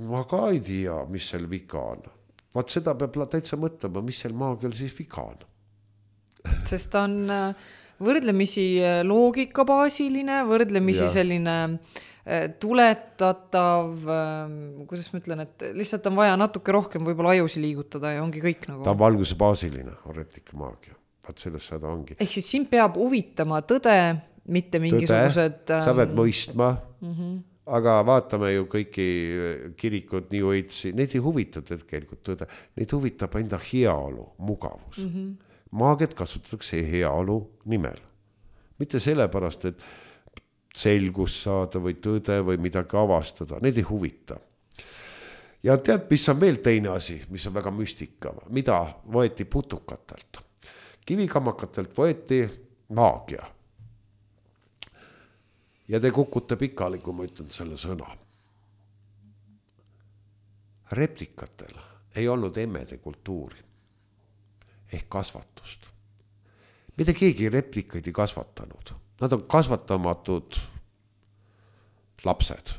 Ma ka ei tea, mis seal viga on. Vaat seda peab täitsa mõtlema, mis seal maagial siis viga on. Sest ta on võrdlemisi loogikabaasiline, võrdlemisi ja. selline tuletatav, kuidas ma ütlen, et lihtsalt on vaja natuke rohkem võib-olla ajusi liigutada ja ongi kõik nagu. Ta on valguse baasiline, on reptika maagia. Vaat sellest seda ongi. Ehk siis siin peab huvitama tõde, mitte mingisugused... Tõde, sa pead mõistma, mm-hmm. aga vaatame ju kõiki kirikud, New Age'i, neid ei huvita tegelikult tõde, neid huvitab enda heaolu, mugavus. Mm-hmm. Maagiat kasutatakse heaolu nimel. Mitte sellepärast, et selgus saada või tõde või midagi avastada, neid ei huvita. Ja tead, mis on veel teine asi, mis on väga müstika, mida võeti putukatelt. Kivikamakatelt võeti maagia. Ja te kukute pikali, kui ma ütlen selle sõna. Reptikatel ei olnud emmede kultuuri ehk kasvatust. Mitte keegi replikaid ei kasvatanud. Nad on kasvatamatud lapsed.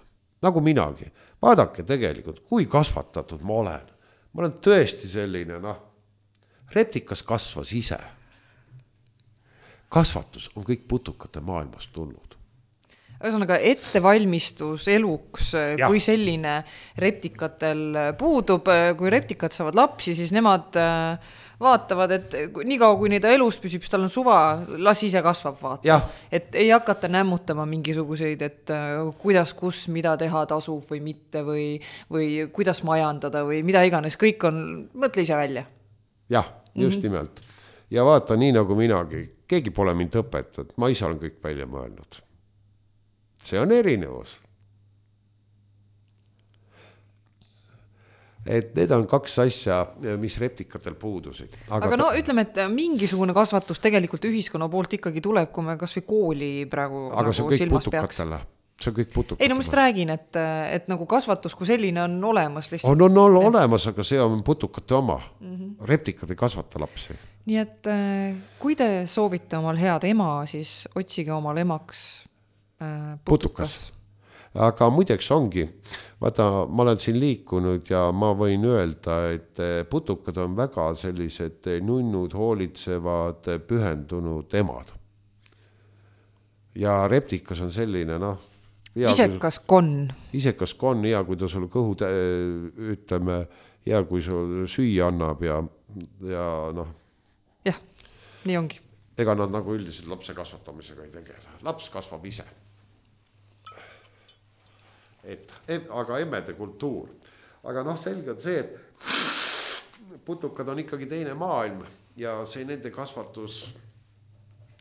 Nagu minagi. Vaadake tegelikult, kui kasvatatud ma olen. Ma olen tõesti selline, noh, replikas kasvas ise. Kasvatus on kõik putukate maailmast tulnud. Ühesõnaga ettevalmistus eluks, ja. kui selline reptikatel puudub, kui reptikad saavad lapsi, siis nemad vaatavad, et nii kaua kui neid elus püsib, tal on suva, las ise kasvab vaata. Et ei hakata nämmutama mingisuguseid, et kuidas, kus, mida teha tasub või mitte või, või kuidas majandada või mida iganes, kõik on, mõtle ise välja. Jah, just mm-hmm. nimelt. Ja vaata, nii nagu minagi, keegi pole mind õpetanud, ma ise olen kõik välja mõelnud. See on erinevus. Et need on kaks asja, mis reptikatel puudusid. Aga, Aga no ta... ütleme, et mingisugune kasvatus tegelikult ühiskonna poolt ikkagi tuleb, kui me kas või kooli praegu Aga nagu see on kõik silmas putukatele. peaks. See on kõik putukatele. Ei, no ma just räägin, et, et nagu kasvatus kui selline on olemas. Lihtsalt. On, on, on olemas, aga see on putukate oma. Mm-hmm. Reptikad ei kasvata lapsi. Nii et kui te soovite omal head ema, siis otsige omal emaks putukas. putukas. Aga muideks ongi, vaata, ma olen siin liikunud ja ma võin öelda, et putukad on väga sellised nunnud, hoolitsevad, pühendunud emad. Ja reptikas on selline, noh... Isekas kon. Isekas kon, hea, kui ta sul kõhu, ütleme, hea, kui sul süüa annab ja, ja noh... Jah, nii ongi. Ega nad nagu üldiselt lapse kasvatamisega ei tegele. Laps kasvab ise. Et, aga emmede kultuur. Aga noh, selge on see, et putukad on ikkagi teine maailm ja see nende kasvatus,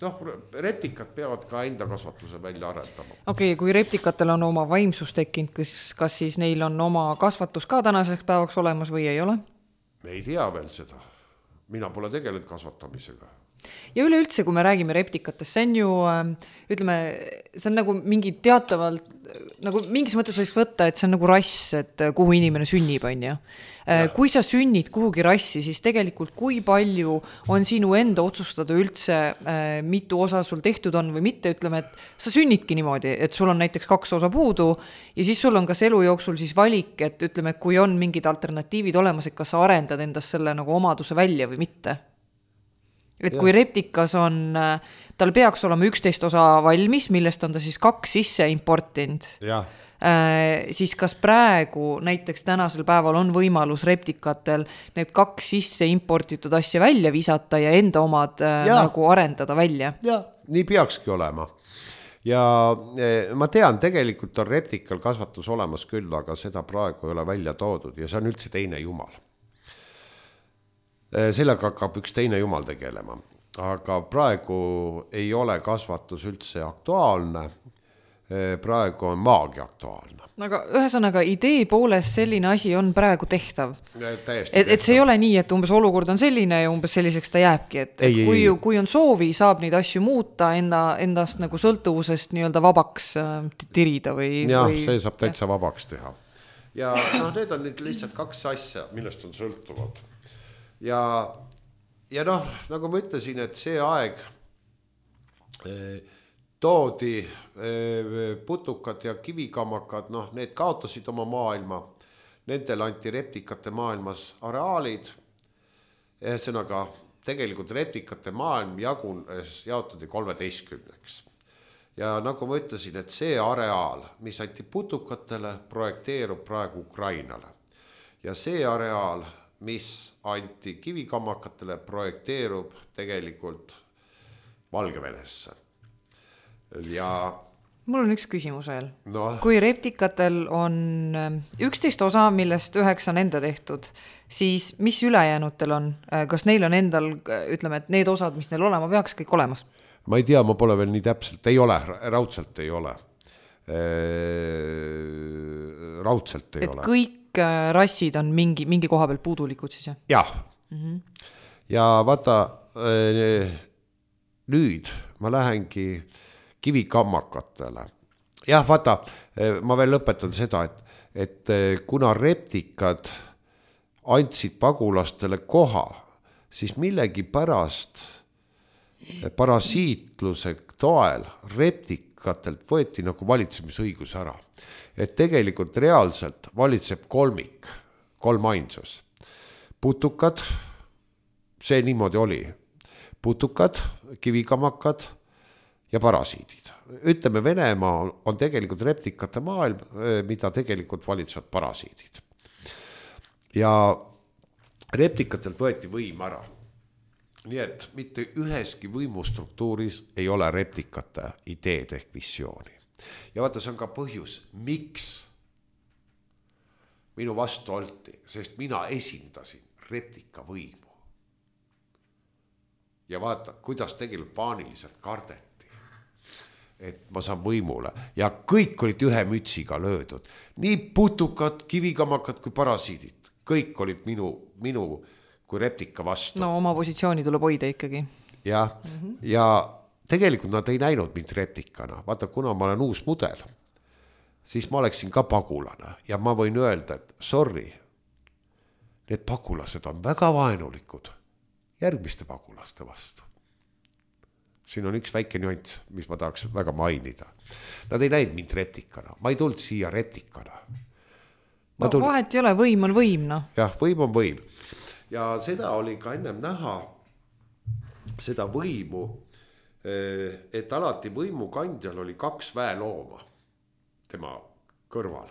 noh, reptikad peavad ka enda kasvatuse välja arendama. Okei, okay, kui reptikatel on oma vaimsus tekkinud, kas, kas siis neil on oma kasvatus ka tänaseks päevaks olemas või ei ole? Me ei tea veel seda. Mina pole tegelenud kasvatamisega. Ja üleüldse, kui me räägime reptikatest, see on ju, ütleme, see on nagu mingi teatavalt, nagu mingis mõttes võiks võtta, et see on nagu rass, et kuhu inimene sünnib, on ju. Kui sa sünnid kuhugi rassi, siis tegelikult kui palju on sinu enda otsustada üldse, mitu osa sul tehtud on või mitte, ütleme, et sa sünnidki niimoodi, et sul on näiteks kaks osa puudu ja siis sul on kas elu jooksul siis valik, et ütleme, kui on mingid alternatiivid olemas, et kas sa arendad endast selle nagu omaduse välja või mitte. Et kui reptikas on, tal peaks olema üksteist osa valmis, millest on ta siis kaks sisse importinud, siis kas praegu näiteks tänasel päeval on võimalus reptikatel need kaks sisse importitud asja välja visata ja enda omad ja. nagu arendada välja? Ja, nii peakski olema. Ja ma tean, tegelikult on reptikal kasvatus olemas küll, aga seda praegu ei ole välja toodud ja see on üldse teine jumal. Sellega hakkab üks teine jumal tegelema, aga praegu ei ole kasvatus üldse aktuaalne, praegu on maagia aktuaalne. Aga ühesõnaga idee poolest selline asi on praegu tehtav. Et, et see ei ole nii, et umbes olukord on selline ja umbes selliseks ta jääbki, et, ei, et kui, kui on soovi, saab neid asju muuta, enda, endast nagu sõltuvusest nii-öelda vabaks tirida või... Jah, või... see saab täitsa vabaks teha. Ja no, need on nüüd lihtsalt kaks asja, millest on sõltuvad. Ja, ja noh, nagu ma ütlesin, et see aeg eh, toodi eh, putukad ja kivikammakad, noh, need kaotasid oma maailma, nendel anti reptikate maailmas areaalid, ühesõnaga tegelikult reptikate maailm jagun, jaotati kolmeteistkümneks. Ja nagu ma ütlesin, et see areaal, mis anti putukatele, projekteerub praegu Ukrainale. Ja see areaal, mis anti kivikammakatele, projekteerub tegelikult Valgevenesse. Ja mul on üks küsimus veel. No. Kui reptikatel on üksteist osa, millest üheksa on enda tehtud, siis mis ülejäänutel on? Kas neil on endal, ütleme, et need osad, mis neil olema peaks, kõik olemas? Ma ei tea, ma pole veel nii täpselt, ei ole, raudselt ei ole. Raudselt ei et ole. Et kõik rassid on mingi, mingi koha peal puudulikud siis, jah? Jah. Mm-hmm. Ja vaata, nüüd ma lähengi kivikammakatele. Jah, vaata, ma veel lõpetan seda, et, et kuna reptikad andsid pagulastele koha, siis millegi pärast parasiitluse toel reptikatelt võeti nagu valitsemisõigus ära. Et tegelikult reaalselt valitseb kolmik, kolm ainsus. Putukad, see niimoodi oli. Putukad, kivikammakad ja parasiidid. Ütleme, Venemaa on tegelikult reptikate maailm, mida tegelikult valitsevad parasiidid. Ja reptikatelt võeti võim ära. Nii et mitte üheski võimustruktuuris ei ole reptikate ideed ehk visiooni. Ja vaata, see on ka põhjus, miks minu vastu olti, sest mina esindasin reptika võimu. Ja vaata, kuidas tegelikult paaniliselt kardeti, et ma saan võimule. Ja kõik olid ühe mütsiga löödud. Nii putukad, kivikammakad kui parasiidid. Kõik olid minu, minu kui reptika vastu. No oma positsiooni tuleb hoida ikkagi. Ja, mm-hmm. ja tegelikult nad ei näinud mind reptikana. Vaata, kuna ma olen uus mudel, siis ma oleksin ka pagulane. Ja ma võin öelda, et sorry, need pagulased on väga vaenulikud järgmiste pagulaste vastu. Siin on üks väike nüanss, mis ma tahaks väga mainida. Nad ei näinud mind reptikana. Ma ei tulnud siia reptikana. Ma no, tuld... vahet ei ole, võim on võim, no. Jah, võim on võim. Ja seda oli ka ennem näha, seda võimu, et alati võimukandjal oli kaks väelooma tema kõrval.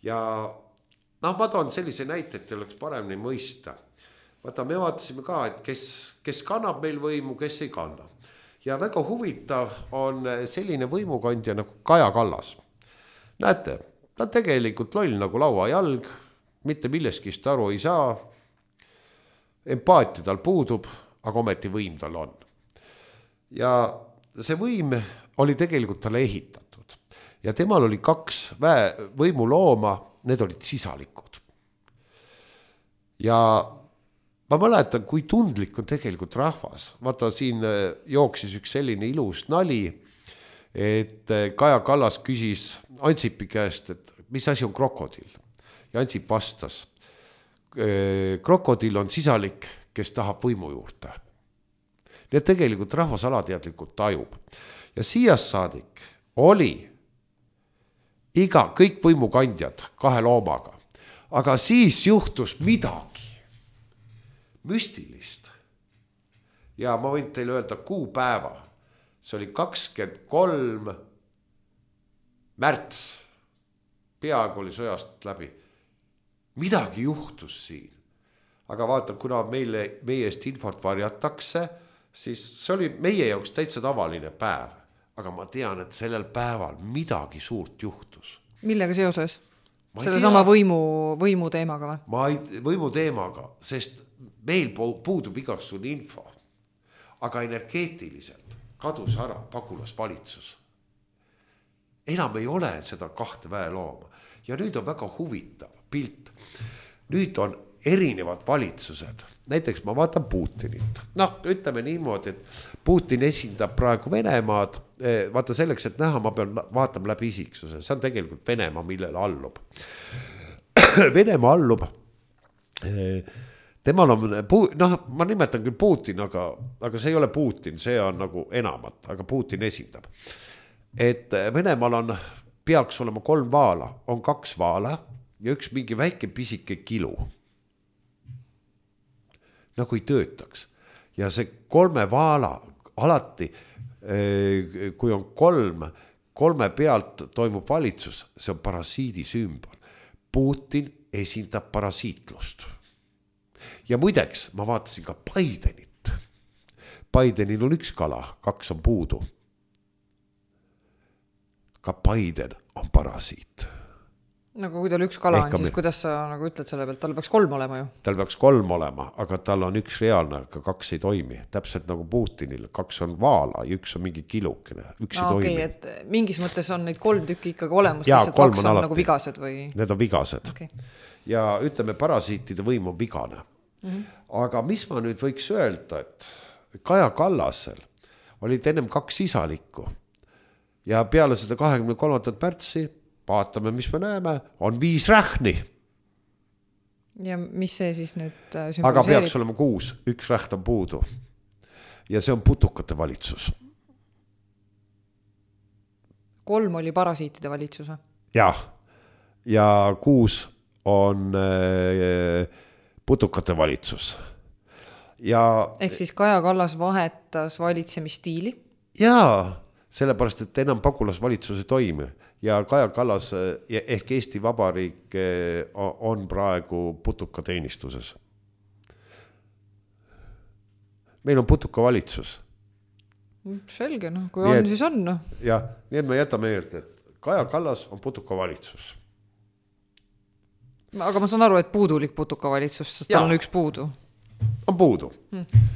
Ja noh, ma toon sellise näite, et oleks paremini mõista. Vaata, me vaatasime ka, et kes, kes kannab meil võimu, kes ei kanna. Ja väga huvitav on selline võimukandja nagu Kaja Kallas. Näete, ta tegelikult loll nagu lauajalg, mitte milleskist aru ei saa. Empaatia tal puudub, aga ometi võim tal on. Ja see võim oli tegelikult talle ehitatud. Ja temal oli kaks väe, võimulooma, need olid sisalikud. Ja ma mäletan, kui tundlik on tegelikult rahvas. Vaata, siin jooksis üks selline ilus nali, et Kaja Kallas küsis Ansipi käest, et mis asi on krokodill. Ja Ansip vastas, krokodill on sisalik, kes tahab võimu juurde. Nii et tegelikult rahvas alateadlikult tajub. Ja siiast saadik oli iga, kõik võimukandjad kahe loomaga. Aga siis juhtus midagi müstilist. Ja ma võin teile öelda kuupäeva. See oli kakskümmend kolm märts. Peaaegu oli sõjast läbi. Midagi juhtus siin. Aga vaata, kuna meile, meie eest infot varjatakse, siis see oli meie jaoks täitsa tavaline päev. Aga ma tean, et sellel päeval midagi suurt juhtus. Millega seoses? Selle sama võimu, võimu teemaga või? Ma ei, võimu teemaga, sest meil puudub igasugune info. Aga energeetiliselt kadus ära pagulasvalitsus. Enam ei ole seda kahte väelooma. Ja nüüd on väga huvitav pilt. Nüüd on erinevad valitsused. Näiteks ma vaatan Putinit. Noh, ütleme niimoodi, et Putin esindab praegu Venemaad. Vaata selleks, et näha, ma pean vaatama läbi isiksuse. See on tegelikult Venemaa, millele allub. Venemaa allub. Temal on, noh, ma nimetan küll Putin, aga, aga see ei ole Putin, see on nagu enamat, aga Putin esindab. Et Venemaal on, peaks olema kolm vaala, on kaks vaala ja üks mingi väike pisike kilu. Nagu ei töötaks. Ja see kolme vaala alati, kui on kolm, kolme pealt toimub valitsus, see on parasiidi sümbol. Putin esindab parasiitlust. Ja muideks, ma vaatasin ka Bidenit. Bidenil on üks kala, kaks on puudu. Ka Biden on parasiit. Nagu kui tal üks kala on, siis kuidas sa nagu ütled selle pealt, tal peaks kolm olema ju? Tal peaks kolm olema, aga tal on üks reaalne, aga kaks ei toimi. Täpselt nagu Putinil, kaks on vaala ja üks on mingi kilukene, üks no, ei okay, toimi. Et mingis mõttes on neid kolm tükki ikkagi olemas, ja, lihtsalt kaks on, on nagu vigased või? Need on vigased. Okay. Ja ütleme, parasiitide võim on vigane. Mm-hmm. Aga mis ma nüüd võiks öelda, et Kaja Kallasel olid ennem kaks isalikku ja peale seda kahekümne kolmandat märtsi vaatame, mis me näeme, on viis rähni. Ja mis see siis nüüd sümboliseerib? Aga peaks olema kuus, üks rähn on puudu. Ja see on putukate valitsus. Kolm oli parasiitide valitsus. Ja, ja kuus on äh, putukate valitsus. Ja, ehk siis Kaja Kallas vahetas valitsemistiili? Jaa, sellepärast, et enam pagulasvalitsus ei toimi. Ja Kaja Kallas ehk Eesti Vabariik on praegu putuka teenistuses. Meil on putuka valitsus. Selge, no, kui on, et, siis on. No. Ja, nii et me jätame meelde, et Kaja Kallas on putuka valitsus. Aga ma saan aru, et puudulik putuka valitsus, sest tal on üks puudu. On puudu. Hmm.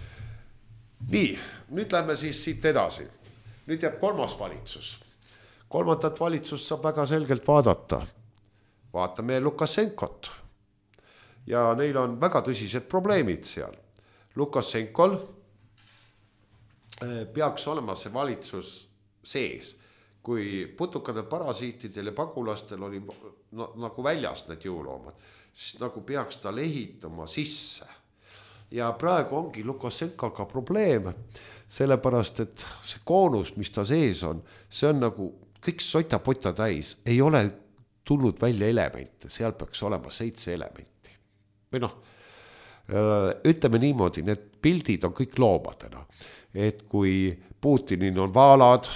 Nii, nüüd lähme siis siit edasi. Nüüd jääb kolmas valitsus. Kolmandat valitsust saab väga selgelt vaadata. Vaatame Lukasenkot. Ja neil on väga tõsised probleemid seal. Lukasenkol peaks olema see valitsus sees. Kui putukadel, parasiitidel ja pagulastel oli no, nagu väljas need jõuloomad, siis nagu peaks ta ehitama sisse. Ja praegu ongi Lukasenkoga probleem, sellepärast, et see koonus, mis ta sees on, see on nagu kõik sota-pota täis, ei ole tulnud välja elemente, seal peaks olema seitse elementi. Või noh, ütleme niimoodi, need pildid on kõik loomadena, et kui Putinil on vaalad,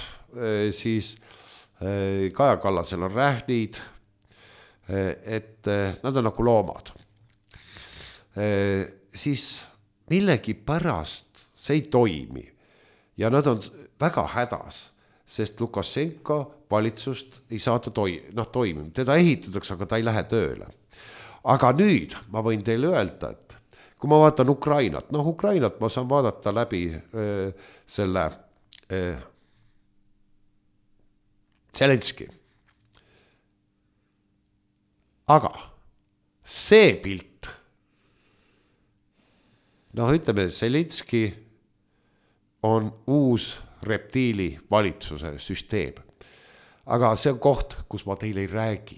siis Kaja Kallasel on rähnid, et nad on nagu loomad. Siis millegi pärast see ei toimi ja nad on väga hädas, sest Lukasenko valitsust ei saata toi, noh, toimima. Teda ehitatakse, aga ta ei lähe tööle. Aga nüüd ma võin teile öelda, et kui ma vaatan Ukrainat, noh, Ukrainat ma saan vaadata läbi öö, selle öö, Zelenski. Aga see pilt noh, ütleme, Zelenski on uus reptiili valitsuse süsteem. Aga see on koht, kus ma teile ei räägi,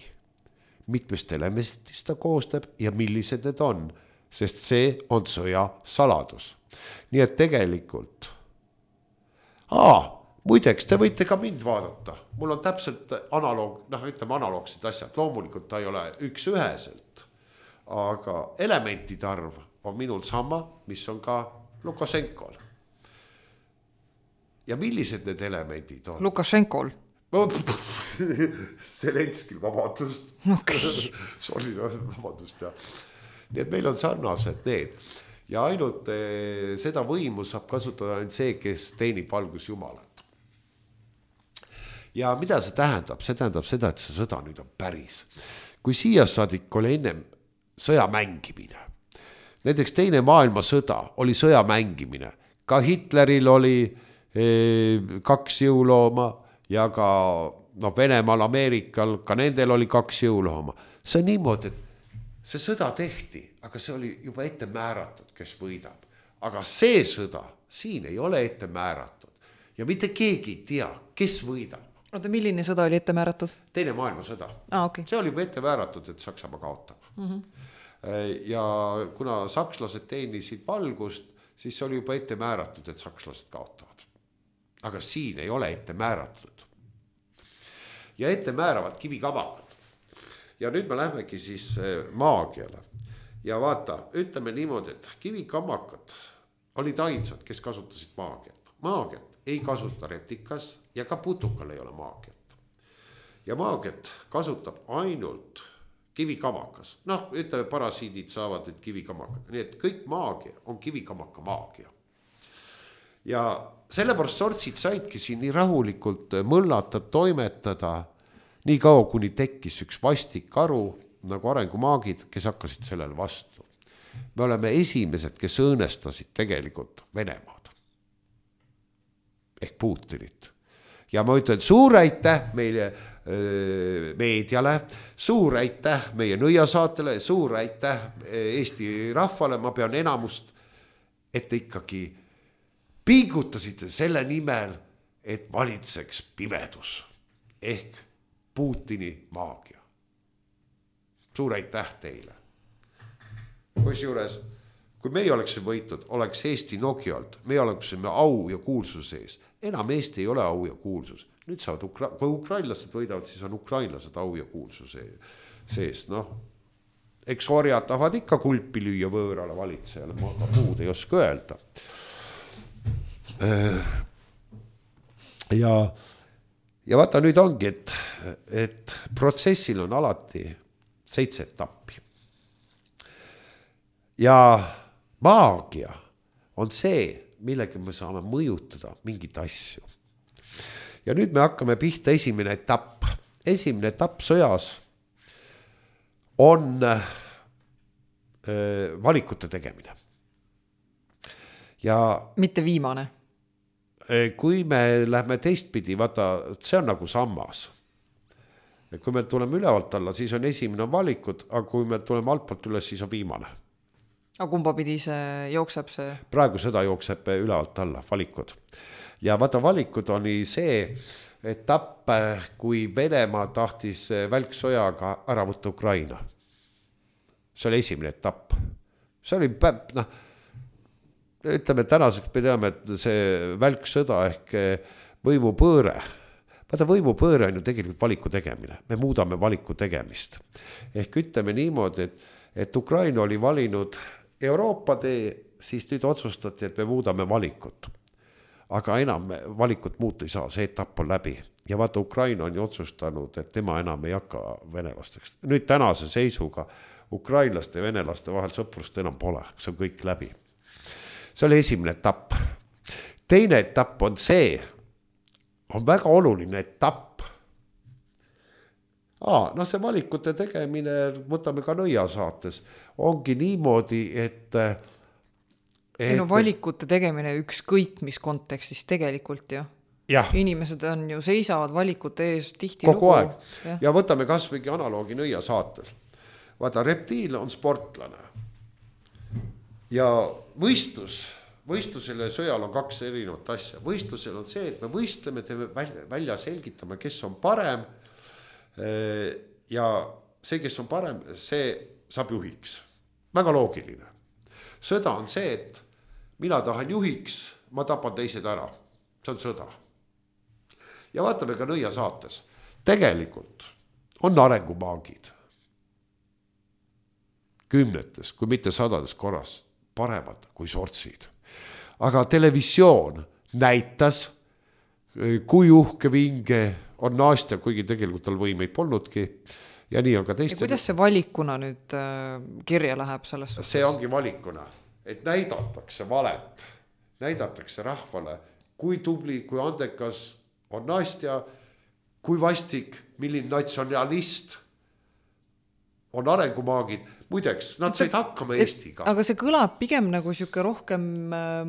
mitmest elementist ta koostab ja millised need on, sest see on sõja saladus. Nii et tegelikult, aa, muideks, te võite ka mind vaadata, mul on täpselt analoog, noh, ütleme analoogsid asjad, loomulikult ta ei ole üks üheselt, aga elementide arv on minul sama, mis on ka Lukašenkol. Ja millised need elemendid on? Lukašenkol. Zelenskil vabandust. Okay. Sorry, vabandust. Ja. Nii et meil on sarnased need. Ja ainult eh, seda võimu saab kasutada ainult see, kes teenib valgus Jumalat. Ja mida see tähendab? See tähendab seda, et see sõda nüüd on päris. Kui siia saadik oli ennem sõja mängimine, näiteks teine maailmasõda oli sõja mängimine, ka Hitleril oli eh, kaks jõulooma, ja ka no, Venemaal, Ameerikal, ka nendel oli kaks jõulooma. See on niimoodi, et see sõda tehti, aga see oli juba ette määratud, kes võidab. Aga see sõda siin ei ole ette määratud. Ja mitte keegi ei tea, kes võidab. Oota, milline sõda oli ette määratud? Teine maailmasõda. Ah, okay. See oli juba ette määratud, et Saksamaa kaotab. Mm-hmm. Ja kuna sakslased teenisid valgust, siis see oli juba ette määratud, et sakslased kaotavad. Aga siin ei ole ette määratud. Ja ette määravad kivikamakad. Ja nüüd me lähmegi siis maagiale. Ja vaata, ütleme niimoodi, et kivikamakad olid ainsad, kes kasutasid maagiat. Maagiat ei kasuta reptikas ja ka putukal ei ole maagiat. Ja maagiat kasutab ainult kivikamakas. Noh, ütleme, parasiidid saavad nüüd kivikamakad. Nii et kõik maagia on kivikamaka maagia. Ja sellepärast sortsid saidki siin nii rahulikult mõllata, toimetada, nii kaua kuni tekkis üks vastik aru, nagu arengumaagid, kes hakkasid sellele vastu. Me oleme esimesed, kes õõnestasid tegelikult Venemaad. Ehk Putinit. Ja ma ütlen suur aitäh meile äh, meediale, suur aitäh meie nõiasaatele, suur aitäh Eesti rahvale, ma pean enamust, et ikkagi pingutasite selle nimel, et valitseks pimedus ehk Putini maagia. Suur aitäh teile. Kusjuures, kui meie oleksime võitud, oleks Eesti Nokialt, me oleksime au ja kuulsus sees. Enam Eesti ei ole au ja kuulsus. Nüüd saavad, Ukra- kui ukrainlased võidavad, siis on ukrainlased au ja kuulsus sees. Noh, eks orjad tahavad ikka kulpi lüüa võõrale valitsejale, ma muud ei oska öelda. Ja, ja vaata nüüd ongi, et, et protsessil on alati seitse etappi. Ja maagia on see, millega me saame mõjutada mingit asju. Ja nüüd me hakkame pihta esimene etapp. Esimene etapp sõjas on äh, valikute tegemine. Ja mitte viimane. Kui me lähme teistpidi, vaata, see on nagu sammas. Kui me tuleme ülevalt alla, siis on esimene valikud, aga kui me tuleme altpoolt üles, siis on viimane. Aga kumba pidi see jookseb see? Praegu seda jookseb ülevalt alla, valikud. Ja vaata, valikud oli see etapp, kui Venemaa tahtis välksojaga ära võtta Ukraina. See oli esimene etapp. See oli päpp, noh, ütleme, tänaseks me teame, et see välksõda ehk võimupööre. Vaata, võimupööre on ju tegelikult valiku tegemine. Me muudame valiku tegemist. Ehk ütleme niimoodi, et, et Ukraina oli valinud Euroopa tee, siis nüüd otsustati, et me muudame valikut. Aga enam valikut muuta ei saa, see etapp on läbi. Ja vaata, Ukraina on ju otsustanud, et tema enam ei hakka venelasteks. Nüüd tänase seisuga ukrainlaste ja venelaste vahel sõprust enam pole, see on kõik läbi. See oli esimene etapp. Teine etapp on see, on väga oluline etapp. Aa, no see valikute tegemine, võtame ka nõia saates, ongi niimoodi, et... et no valikute tegemine ükskõik mis kontekstis tegelikult ju. Ja. Inimesed on ju seisavad valikute ees tihti kogu lugu. Aeg. Ja. ja võtame kas võigi analoogi nõia saates. Vaata, reptiil on sportlane. ja võistlus, võistlusel ja sõjal on kaks erinevat asja. Võistlusel on see, et me võistleme, teeme välja, välja selgitame, kes on parem. Ja see, kes on parem, see saab juhiks. Väga loogiline. Sõda on see, et mina tahan juhiks, ma tapan teised ära. See on sõda. Ja vaatame ka Nõia saates. Tegelikult on arengumaagid. Kümnetes, kui mitte sadades korras, paremad kui sortsid. Aga televisioon näitas, kui uhke vinge on Nastja, kuigi tegelikult tal võimeid polnudki. Ja nii on ka teiste. Ja kuidas see valikuna nüüd kirja läheb selles suhtes? See ongi valikuna, et näidatakse valet, näidatakse rahvale, kui tubli, kui andekas on Nastja, kui vastik, milline natsionalist on arengumaagid. Muideks, nad said hakkama Eestiga. Aga see kõlab pigem nagu siuke rohkem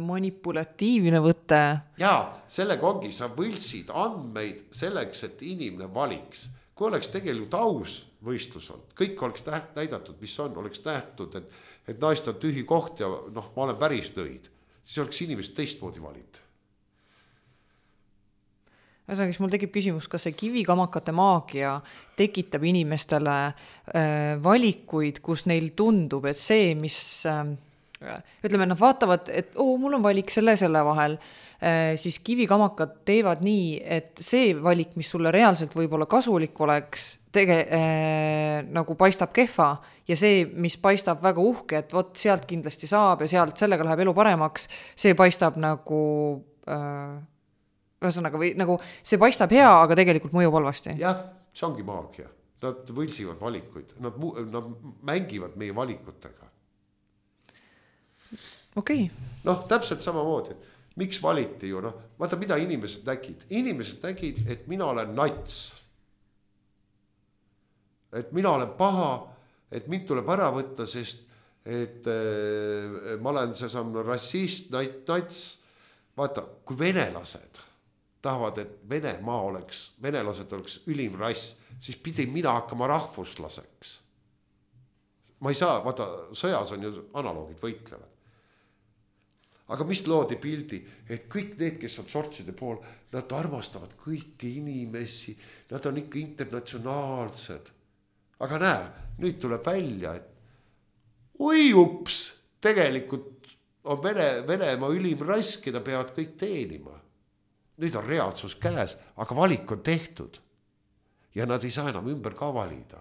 manipulatiivne võte. Jaa, sellega ongi, sa võltsid andmeid selleks, et inimene valiks. Kui oleks tegelikult aus võistlus on, kõik oleks näidatud, mis on, oleks nähtud, et, et naist on tühi koht ja noh, ma olen päris nõid. Siis oleks inimesed teistmoodi valid. Ühesõnaga, mul tekib küsimus, kas see kivikamakate maagia tekitab inimestele äh, valikuid, kus neil tundub, et see, mis äh, ütleme, nad vaatavad, et oo, mul on valik selle selle vahel, äh, siis kivikamakad teevad nii, et see valik, mis sulle reaalselt võib-olla kasulik oleks, tege, äh, nagu paistab kehva ja see, mis paistab väga uhke, et vot sealt kindlasti saab ja sealt sellega läheb elu paremaks, see paistab nagu... Äh, Ühesõnaga, või nagu see paistab hea, aga tegelikult mõjub halvasti. Jah, see ongi maagia. Nad võlsivad valikuid. Nad, nad mängivad meie valikutega. Okei. Okay. Noh, täpselt samamoodi. Miks valiti ju? Noh, vaata, mida inimesed nägid. Inimesed nägid, et mina olen nats. Et mina olen paha, et mind tuleb ära võtta, sest et äh, ma olen see samm rassist, nats. Vaata, kui venelased tahavad, et Venemaa oleks, venelased oleks ülim rass, siis pidi mina hakkama rahvuslaseks. Ma ei saa, vaata, sõjas on ju analoogid võitlevad. Aga mis loodi pildi, et kõik need, kes on sortside pool, nad armastavad kõiki inimesi, nad on ikka internatsionaalsed. Aga näe, nüüd tuleb välja, et oi ups, tegelikult on Vene, Venemaa ülim rass, keda peavad kõik teenima. Nüüd on reaalsus käes, aga valik on tehtud. Ja nad ei saa enam ümber ka valida.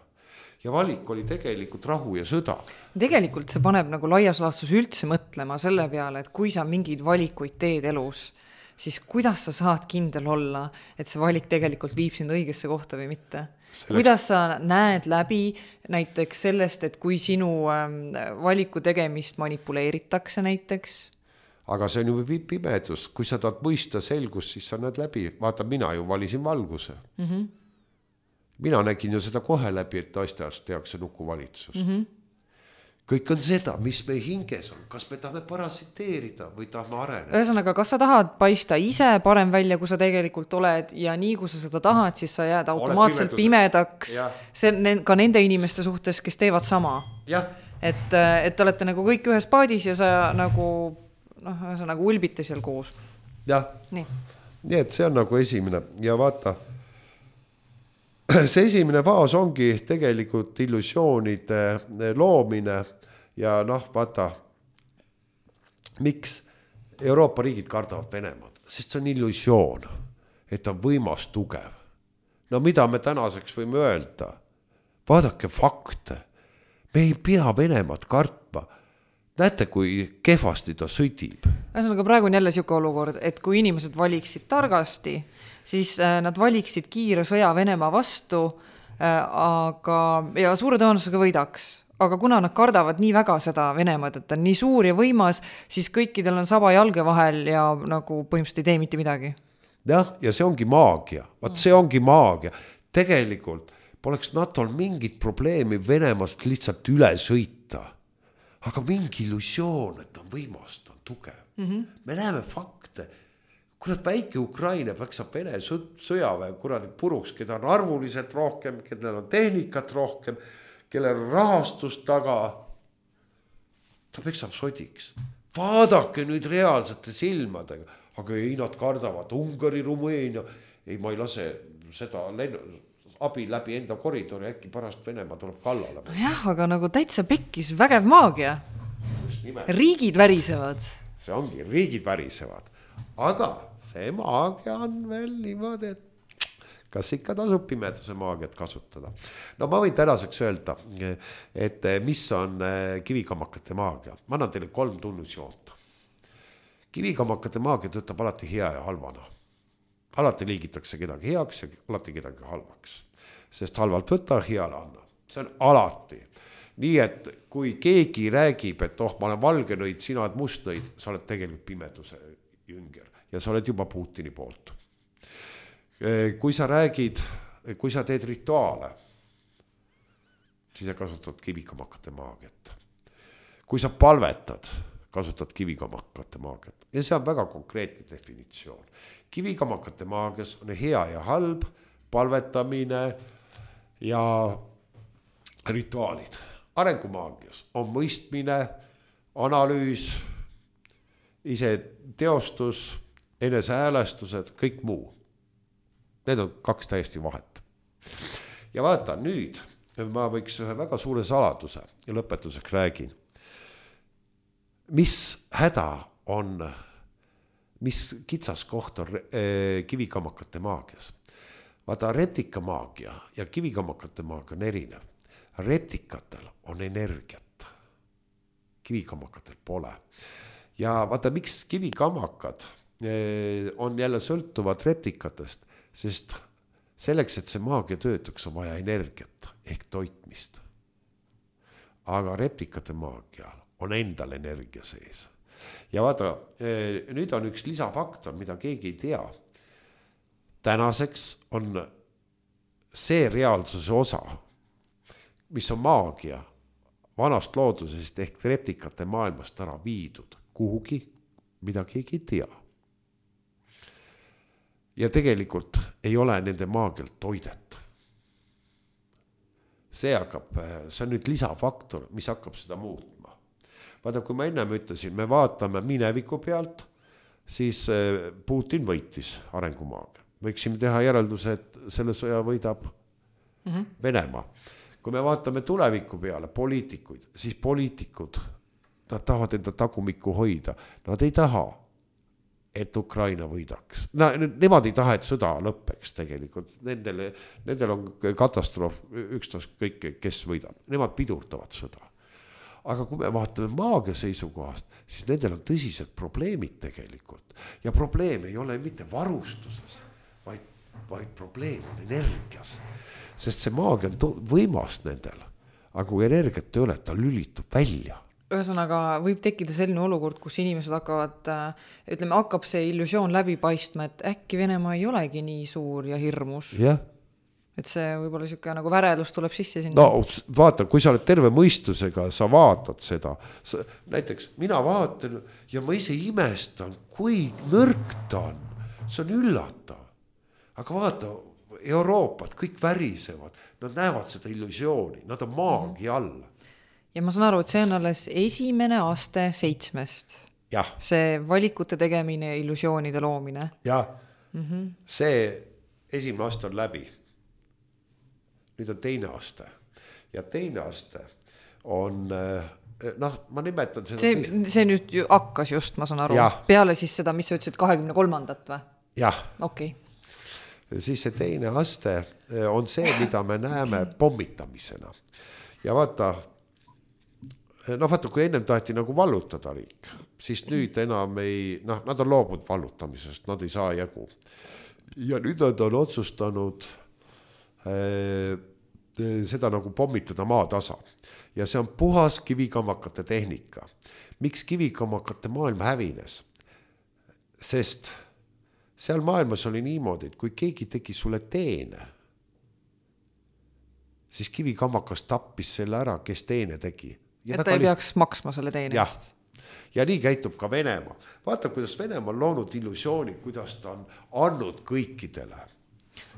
Ja valik oli tegelikult rahu ja sõda. Tegelikult see paneb nagu laias laastus üldse mõtlema selle peale, et kui sa mingeid valikuid teed elus, siis kuidas sa saad kindel olla, et see valik tegelikult viib sind õigesse kohta või mitte? Selleks... Kuidas sa näed läbi näiteks sellest, et kui sinu valiku tegemist manipuleeritakse näiteks? Aga see on ju pimedus. Kui sa tahad mõista selgust, siis sa näed läbi. Vaata, mina ju valisin valguse. Mm-hmm. Mina nägin ju seda kohe läbi, et naistehast tehakse nukuvalitsus. Mm-hmm. Kõik on seda, mis me hinges on. Kas me tahame parasiteerida või tahame areneda? Ühesõnaga, kas sa tahad paista ise parem välja, kui sa tegelikult oled ja nii, kui sa seda tahad, siis sa jääd automaatselt pimedaks see, ka nende inimeste suhtes, kes teevad sama. Ja. Et, et olete nagu kõik ühes paadis ja sa nagu... noh, see on nagu ulbite seal koos. Jah, nii. nii et see on nagu esimene ja vaata, see esimene faas ongi tegelikult illusioonide loomine ja noh, vaata, miks Euroopa riigid kardavad Venemaad, sest see on illusioon, et on võimas tugev. No mida me tänaseks võime öelda? Vaadake fakte, me ei pea Venemaad kartma. Näete, kui kehvasti ta sõdib. Ühesõnaga, praegu on jälle siuke olukord, et kui inimesed valiksid targasti, siis nad valiksid kiire sõja Venemaa vastu, aga, ja suure tõenäosusega võidaks. Aga kuna nad kardavad nii väga seda Venemaad, et on nii suur ja võimas, siis kõikidel on saba jalge vahel ja nagu põhimõtteliselt ei tee mitte midagi. Jah, ja see ongi maagia. Vaat see ongi maagia. Tegelikult poleks NATOl mingit probleemi Venemaast lihtsalt üle sõita. Aga mingi illusioon, et on võimas, on tugev. Mm-hmm. Me näeme fakte. Kurat, väike Ukraina peksab Vene sõjaväe kuradi puruks, keda on arvuliselt rohkem, kellel on tehnikat rohkem, kellel on rahastust taga. ta peksab sodiks. Vaadake nüüd reaalsete silmadega, aga ei, nad kardavad Ungari, Rumeenia, ei, ma ei lase seda lennu, abi läbi enda koridori, äkki pärast Venemaa tuleb kallale. Jah, aga nagu täitsa pekkis vägev maagia. Riigid värisevad. See ongi, riigid värisevad. Aga see maagia on veel niimoodi, et kas ikka tasub pimeduse maagiat kasutada. No ma võin tänaseks öelda, et mis on kivikammakate maagia. Ma annan teile kolm tunnusjoont. Kivikammakate maagia töötab alati hea ja halvana. Alati liigitakse kedagi heaks ja alati kedagi halvaks. Sest halvalt võtta, heale anna. See on alati. Nii et kui keegi räägib, et oh, ma olen valge nõid, sina oled must nõid, sa oled tegelikult pimeduse jünger ja sa oled juba Putini poolt. Kui sa räägid, kui sa teed rituaale, siis sa kasutad kivikamakate maagiat. Kui sa palvetad, kasutad kivikamakate maagiat. Ja see on väga konkreetne definitsioon. Kivikamakate maagias on hea ja halb, palvetamine ja rituaalid. Arengumaagias on mõistmine, analüüs, ise teostus, enese häälestused, kõik muu. Need on kaks täiesti vahet. Ja vaata, nüüd ma võiks ühe väga suure saladuse ja lõpetuseks räägin. Mis häda on, mis kitsas koht on kivikamakate maagias? Vaata, reptikamaagia ja kivikamakate maagia on erinev. Reptikatel on energiat. Kivikamakatel pole. Ja vaata, miks kivikamakad on jälle sõltuvad reptikatest, sest selleks, et see maagia töötaks, on vaja energiat ehk toitmist. Aga reptikate maagial on endal energia sees. Ja vaata, nüüd on üks lisafaktor, mida keegi ei tea. Tänaseks on see reaalsuse osa, mis on maagia vanast loodusest ehk reptikate maailmast ära viidud kuhugi, mida keegi ei tea. Ja tegelikult ei ole nende maagialt toidet. See hakkab, see on nüüd lisafaktor, mis hakkab seda muutma. Vaata, kui ma ennem ütlesin, me vaatame mineviku pealt, siis Putin võitis arengumaagia. Võiksime teha järelduse, et selle sõja võidab mm-hmm. Venemaa. Kui me vaatame tuleviku peale poliitikuid, siis poliitikud, nad tahavad enda tagumikku hoida. Nad ei taha, et Ukraina võidaks. No, nemad ei taha, et sõda lõppeks tegelikult. Nendel, nendel on katastroof, ükstas kõik, kes võidab. Nemad pidurdavad sõda. Aga kui me vaatame maagia seisukohast, siis nendel on tõsised probleemid tegelikult. Ja probleem ei ole mitte varustuses, vaid, vaid probleem on energias. Sest see maagia on võimas nendel. Aga kui energiat ei ole, ta lülitub välja. Ühesõnaga võib tekkida selline olukord, kus inimesed hakkavad, ütleme, hakkab see illusioon läbi paistma, et äkki Venemaa ei olegi nii suur ja hirmus. Jah. Et see võib-olla siuke nagu värelus tuleb sisse sinna. No vaata, kui sa oled terve mõistusega, sa vaatad seda. Sa, näiteks mina vaatan ja ma ise imestan, kui nõrk ta on. See on üllatav. Aga vaata, Euroopat kõik värisevad. Nad näevad seda illusiooni. Nad on maagia all. Ja ma saan aru, et see on alles esimene aste seitsmest. Jah. See valikute tegemine ja illusioonide loomine. Jah. Mm-hmm. See esimene aste on läbi. Nüüd on teine aste. Ja teine aste on, noh, ma nimetan seda... See, see nüüd ju hakkas just, ma saan aru. Ja. Peale siis seda, mis sa ütlesid, kahekümne kolmandat või? Jah. Okei. Siis see teine aste on see, mida me näeme pommitamisena. Ja vaata, no vaata, kui ennem taheti nagu vallutada riik, siis nüüd enam ei, noh, nad on loobunud vallutamisest, nad ei saa jagu. Ja nüüd nad on otsustanud äh, seda nagu pommitada maatasa. Ja see on puhas kivikamakate tehnika. Miks kivikamakate maailm hävines? Sest seal maailmas oli niimoodi, et kui keegi tegi sulle teene, siis kivikamakas tappis selle ära, kes teene tegi. Ja et ta ei peaks maksma selle teenest. Ja nii käitub ka Venemaa. Vaata, kuidas Venemaa on loonud illusiooni, kuidas ta on andnud kõikidele.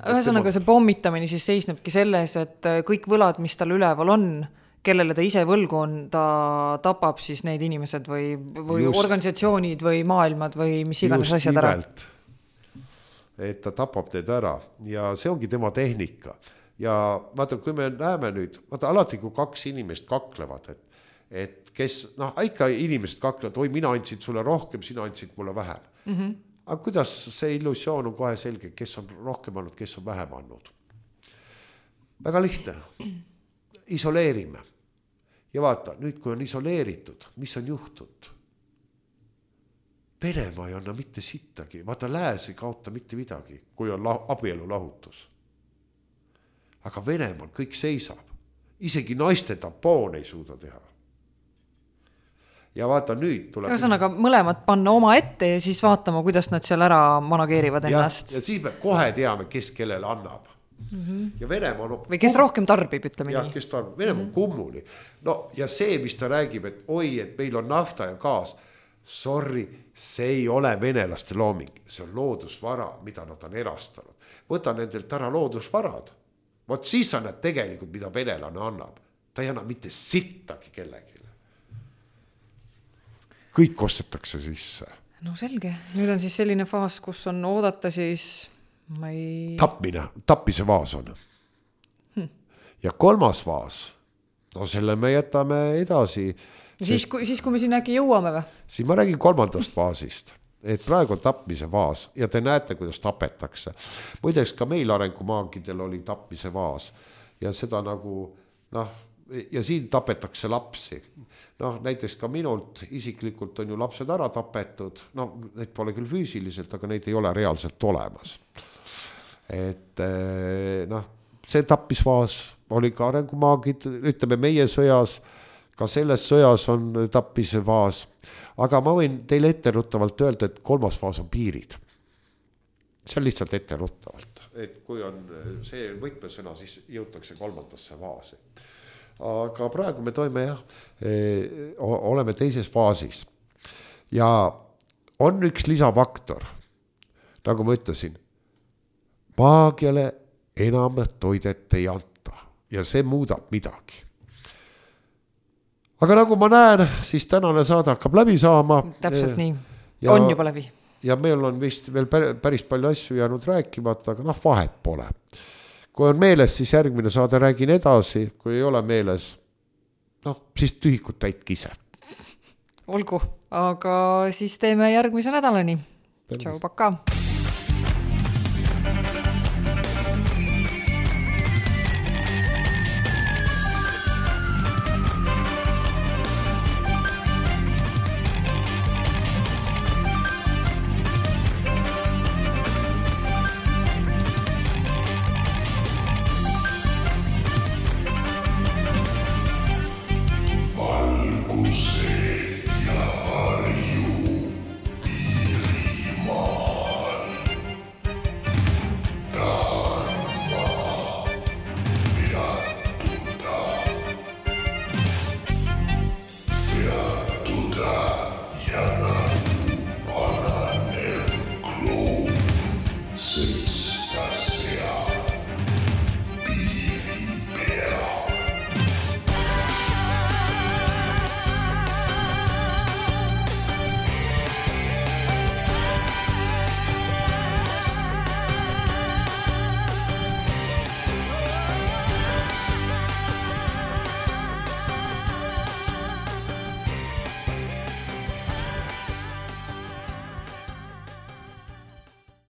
Ühesõnaga see pommitamine siis seisnebki selles, et kõik võlad, mis tal üleval on, kellele ta ise võlgu on, ta tapab siis neid inimesed või, või just, organisatsioonid või maailmad või mis iganes asjad ära. Et ta tapab teid ära ja see ongi tema tehnika. Ja vaata, kui me näeme nüüd, vaata alati kui kaks inimest kaklevad, et, et kes, noh, ikka inimesed kaklevad, oi, mina andsid sulle rohkem, sina andsid mulle vähem. Mm-hmm. Aga kuidas see illusioon on kohe selge, kes on rohkem andnud, kes on vähem andnud? Väga lihtne. Isoleerime. Ja vaata, nüüd kui on isoleeritud, mis on juhtud? Venemaa ei anna mitte sittagi. Vaata, lääs ei kaota mitte midagi, kui on la- abielu lahutus. Aga Venemaal kõik seisab. Isegi naiste tampoon ei suuda teha. Ja vaata, nüüd tuleb... Ühesõnaga, mõlemad panna oma ette ja siis vaatama, kuidas nad seal ära manageerivad ennast. Ja, ja siis me kohe teame, kes kellele annab. Mm-hmm. Ja Venemaa on... Või kes rohkem tarbib, ütleme ja, nii. Kes tarbib. Venemaa on kummuli. No, ja see, mis ta räägib, et oi, et meil on nafta ja gaas. Sorry, see ei ole venelaste looming. See on loodusvara, mida nad on erastanud. Võta nendelt ära loodusvarad. Vot siis on need tegelikult, mida venelane annab. Ta ei anna mitte sittagi kellegi. Kõik ostetakse sisse. No selge. Nüüd on siis selline faas, kus on oodata siis... Ma ei... Tapmine, tappise vaas on. Hm. Ja kolmas vaas, no selle me jätame edasi. Siis, sest... kui, siis kui me siin äkki jõuame või? Siis ma räägin kolmandast vaasist, et praegu on tapmise vaas ja te näete, kuidas tapetakse. Muideks ka meil arengumaagidel oli tapmise vaas ja seda nagu, noh, ja siin tapetakse lapsi. Noh, näiteks ka minult isiklikult on ju lapsed ära tapetud, no neid pole küll füüsiliselt, aga neid ei ole reaalselt olemas. Et noh, see tappisvaas oli ka arengumaagid, ütleme meie sõjas, ka selles sõjas on tappise vaas, aga ma võin teile etteruttavalt öelda, et kolmas vaas on piirid. See on lihtsalt etteruttavalt, et kui on see võtmesõna, siis jõutakse kolmandasse vaasi. Aga praegu me toime jah, oleme teises faasis ja on üks lisafaktor, nagu ma ütlesin, maagiale enam toidet ei anta ja see muudab midagi. Aga nagu ma näen, siis tänane saade hakkab läbi saama. Täpselt nii, ja, on juba läbi. Ja meil on vist veel päris palju asju jäänud rääkimata, aga noh, vahet pole. Kui on meeles, siis järgmine saade räägin edasi, kui ei ole meeles, noh, siis tühikut täitki ise. Olgu, aga siis teeme järgmise nädalani. Tšau, paka!